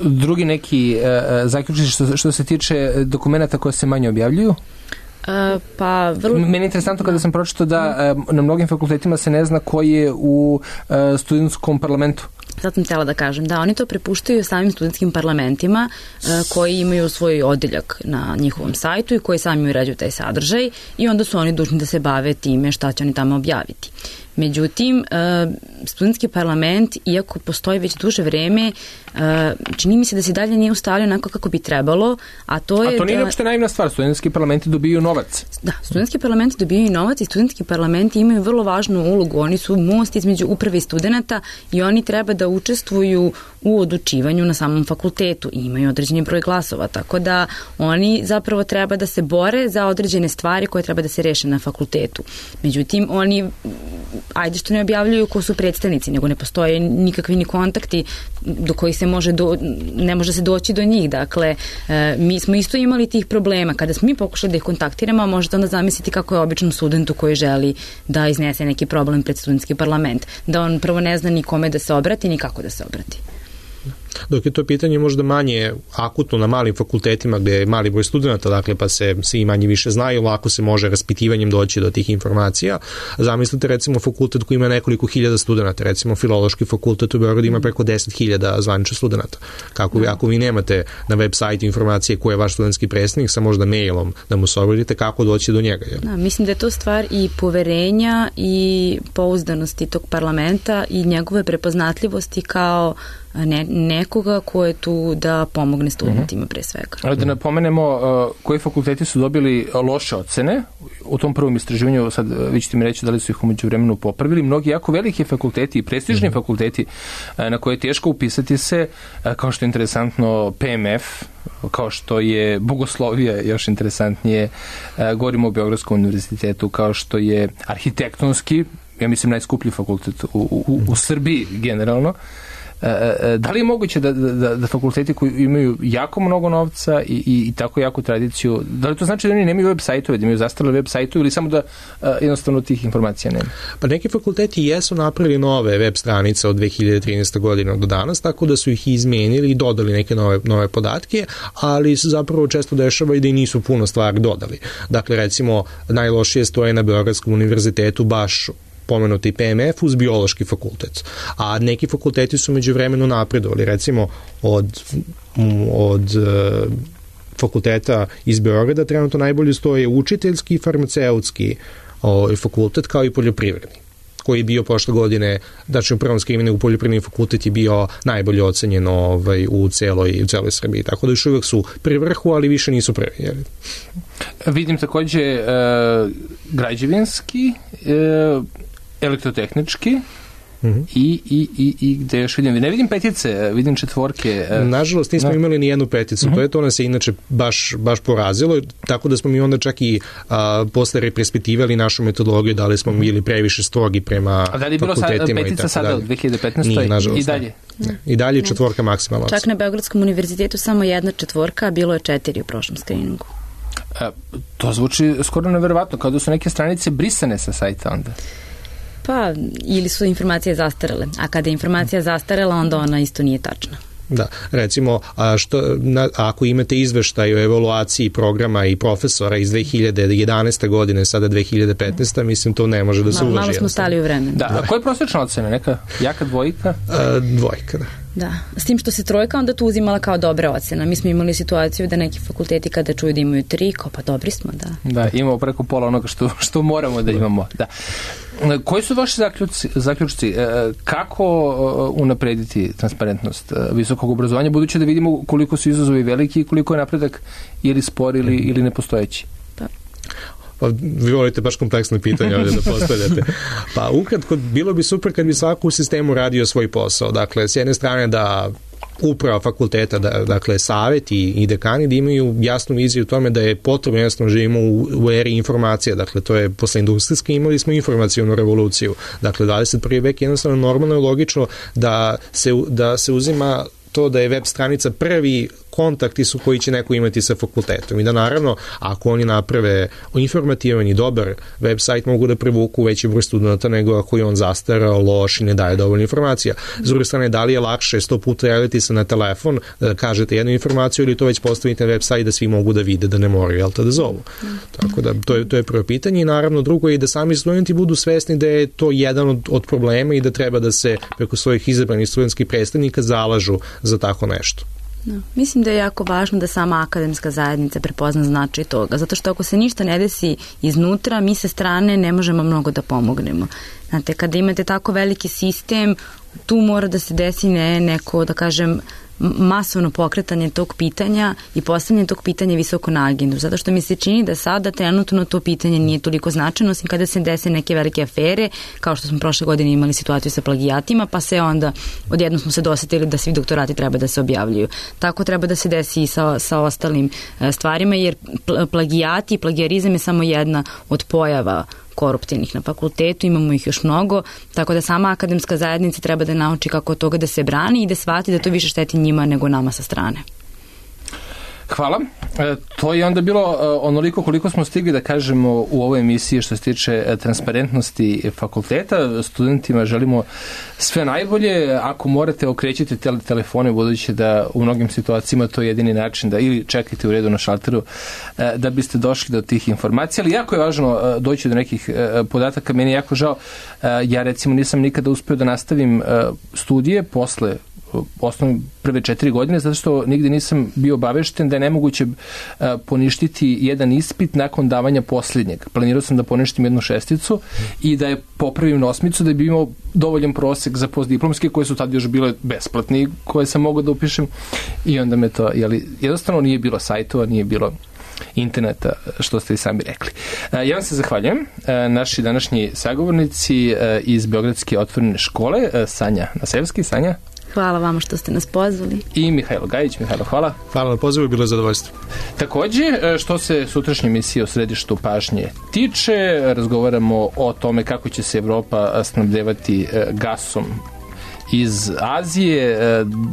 Drugi neki uh, zaključci što, što se tiče dokumenta koje se manje objavljuju? Uh, pa vrlo... Meni je interesantno kada sam pročitao da uh, na mnogim fakultetima se ne zna ko je u uh, studentskom parlamentu. Sad sam htjela da kažem, da oni to prepuštaju samim studentskim parlamentima uh, koji imaju svoj odeljak na njihovom sajtu i koji sami uređuju taj sadržaj i onda su oni dužni da se bave time šta će oni tamo objaviti. Međutim, studentski parlament, iako postoji već duže vreme, čini mi se da se dalje nije ustavljeno onako kako bi trebalo, a to je... A to nije da... uopšte naivna stvar, studentski parlamenti dobijaju novac. Da, studentski parlamenti dobijaju novac i studentski parlamenti imaju vrlo važnu ulogu. Oni su most između uprave i studenta i oni treba da učestvuju u odlučivanju na samom fakultetu i imaju određeni broj glasova, tako da oni zapravo treba da se bore za određene stvari koje treba da se reše na fakultetu. Međutim, oni ajde što ne objavljuju ko su predstavnici, nego ne postoje nikakvi ni kontakti do kojih se može do, ne može se doći do njih. Dakle, e, mi smo isto imali tih problema. Kada smo mi pokušali da ih kontaktiramo, možete onda zamisliti kako je običnom studentu koji želi da iznese neki problem pred studentski parlament. Da on prvo ne zna ni kome da se obrati, ni kako da se obrati. Dok je to pitanje možda manje akutno na malim fakultetima gde je mali broj studenta, dakle pa se svi manje više znaju, lako se može raspitivanjem doći do tih informacija. Zamislite recimo fakultet koji ima nekoliko hiljada studenta, recimo Filološki fakultet u Beogradu ima preko deset hiljada zvaničnih studenta. Kako vi, ako vi nemate na web sajtu informacije ko je vaš studentski predstavnik, sa možda mailom da mu se obratite, kako doći do njega? Je? Da, mislim da je to stvar i poverenja i pouzdanosti tog parlamenta i njegove prepoznatljivosti kao Ne, nekoga ko je tu da pomogne studentima pre svega. Ali da napomenemo uh, koji fakulteti su dobili loše ocene u tom prvom istraživanju, sad vi ćete mi reći da li su ih umeđu vremenu popravili. Mnogi jako veliki fakulteti i prestižni mm-hmm. fakulteti uh, na koje je teško upisati se, uh, kao što je interesantno P M F, kao što je Bogoslovija, još interesantnije, uh, govorimo o Beogradskom univerzitetu, kao što je arhitektonski, ja mislim najskuplji fakultet u, u, u Srbiji generalno. Da li je moguće da, da, da fakulteti koji imaju jako mnogo novca i, i, i tako jaku tradiciju, da li to znači da oni nemaju web sajtove, da imaju zastarele web sajtove ili samo da a, jednostavno tih informacija nema? Pa neki fakulteti jesu napravili nove web stranice od dve hiljade trinaeste. godine do danas, tako da su ih izmenili i dodali neke nove, nove podatke, ali se zapravo često dešava i da i nisu puno stvari dodali. Dakle, recimo, najlošije stoje na Beogradskom univerzitetu baš pomenuti P M F uz biološki fakultet. A neki fakulteti su među vremenu napredovali. Recimo od, od uh, fakulteta iz Beograda trenutno najbolje stoje učiteljski i farmaceutski uh, fakultet kao i poljoprivredni, koji je bio prošle godine, znači u prvom skrimingu poljoprivredni fakultet je bio najbolje ocenjen ovaj, u, celoj, u celoj Srbiji. Tako da još uvijek su pri vrhu, ali više nisu prvi. Jel? Vidim takođe uh, građevinski, uh, elektrotehnički, mm-hmm. i, i, i, i gde još vidim, ne vidim petice, vidim četvorke. Nažalost nismo no. imali ni jednu peticu, mm-hmm. to je to nas je inače baš, baš porazilo, tako da smo mi onda čak i a, posle represpitivali našu metodologiju, da li smo bili previše strogi prema fakultetima. A da li je bilo sad, petica sada u dve hiljade petnaestoj. Nije, nažalost. I dalje? Ne. I dalje je četvorka maksimalna. Čak na Beogradskom univerzitetu samo jedna četvorka, a bilo je četiri u prošlom skriningu. A, to zvuči skoro neverovatno, kao da su neke stranice brisane sa sajta onda. Pa, ili su informacije zastarele, a kada je informacija zastarela, onda ona isto nije tačna. Da, recimo, a što, na, ako imate izveštaj o evaluaciji programa i profesora iz dve hiljade jedanaeste. godine, sada dve hiljade petnaeste. mislim, to ne može da se uloži. Malo smo stali u vremenu. Da, a koja je prosječna ocena? Neka jaka dvojka? A, dvojka, da. Da, s tim što se trojka onda tu uzimala kao dobra ocena. Mi smo imali situaciju da neki fakulteti kada čuju da imaju tri, kao pa dobri smo, da. Da, imamo preko pola onoga što, što moramo da imamo, da. Koji su vaši zaključci, zaključci? Kako unaprediti transparentnost visokog obrazovanja, budući da vidimo koliko su izazovi veliki i koliko je napredak ili spor ili, ili nepostojeći? Pa. Pa, vi volite baš kompleksne pitanje ovdje da postavljate. Pa ukratko, bilo bi super kad bi svako u sistemu radio svoj posao. Dakle, s jedne strane da uprava fakulteta, da, dakle savet i, i dekani da imaju jasnu viziju u tome da je potrebno, jednostavno živimo u, u eri informacija, dakle to je posle industrijske imali smo informacijonu revoluciju, dakle dvadeset prvi vek jednostavno normalno i logično da se, da se uzima to da je web stranica prvi kontakti su koji će neko imati sa fakultetom i da naravno ako oni naprave informativan i dobar web sajt mogu da privuku veći broj studenta nego ako je on zastarao, loš i ne daje dovoljno informacija. S druge strane, da li je lakše sto puta javiti se na telefon da kažete jednu informaciju ili to već postavite na web sajt da svi mogu da vide da ne moraju, jel te da zovu. Tako da to je, to je prvo pitanje i naravno drugo je da sami studenti budu svesni da je to jedan od, od problema i da treba da se preko svojih izabranih studentskih predstavnika zalažu za tako nešto. No, mislim da je jako važno da sama akademska zajednica prepozna značaj toga, zato što ako se ništa ne desi iznutra, mi sa strane ne možemo mnogo da pomognemo. Znate, kada imate tako veliki sistem, tu mora da se desi ne, neko, da kažem, masovno pokretanje tog pitanja i postavljanje tog pitanja visoko na agendu, zato što mi se čini da sada trenutno to pitanje nije toliko značajno, osim kada se dese neke velike afere, kao što smo prošle godine imali situaciju sa plagijatima, pa se onda odjednom smo se dosetili da svi doktorati treba da se objavljuju. Tako treba da se desi i sa, sa ostalim stvarima, jer plagijati i plagijarizam je samo jedna od pojava koruptivnih na fakultetu, imamo ih još mnogo, tako da sama akademska zajednica treba da nauči kako od toga da se brani i da shvati da to više šteti njima nego nama sa strane. Hvala. E, to je onda bilo e, onoliko koliko smo stigli da kažemo u ovoj emisiji što se tiče e, transparentnosti fakulteta. Studentima želimo sve najbolje. Ako morate, okrećite tele, telefone, budući da u mnogim situacijama to je jedini način da ili čekajte u redu na šalteru e, da biste došli do tih informacija. Ali jako je važno e, doći do nekih e, podataka. Meni je jako žao. E, ja recimo nisam nikada uspeo da nastavim e, studije posle osnovne prve četiri godine, zato što nigde nisam bio obavešten da je nemoguće uh, poništiti jedan ispit nakon davanja posljednjeg. Planirao sam da poništim jednu šesticu i da je popravim na osmicu da bi imao dovoljan prosek za postdiplomske koje su tad još bile besplatni, koje sam mogao da upišem i onda me to, jeli, jednostavno nije bilo sajtova, nije bilo interneta, što ste i sami rekli. Ja vam se zahvaljujem. Naši današnji sagovornici iz Beogradske otvorene škole, Sanja Nasevski. Sanja? Hvala vama što ste nas pozvali. I Mihajlo Gajić. Mihajlo, hvala. Hvala na pozivu, bilo je zadovoljstvo. Takođe, što se sutrašnje emisije o središtu pažnje tiče, razgovaramo o tome kako će se Evropa snabdevati gasom iz Azije,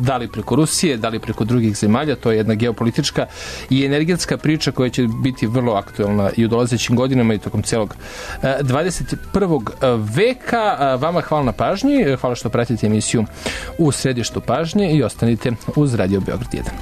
da li preko Rusije, da li preko drugih zemalja. To je jedna geopolitička i energetska priča koja će biti vrlo aktuelna i u dolazećim godinama i tokom celog dvadeset prvog veka. Vama hvala na pažnji, hvala što pratite emisiju u središtu pažnje i ostanite uz Radio Beograd jedan.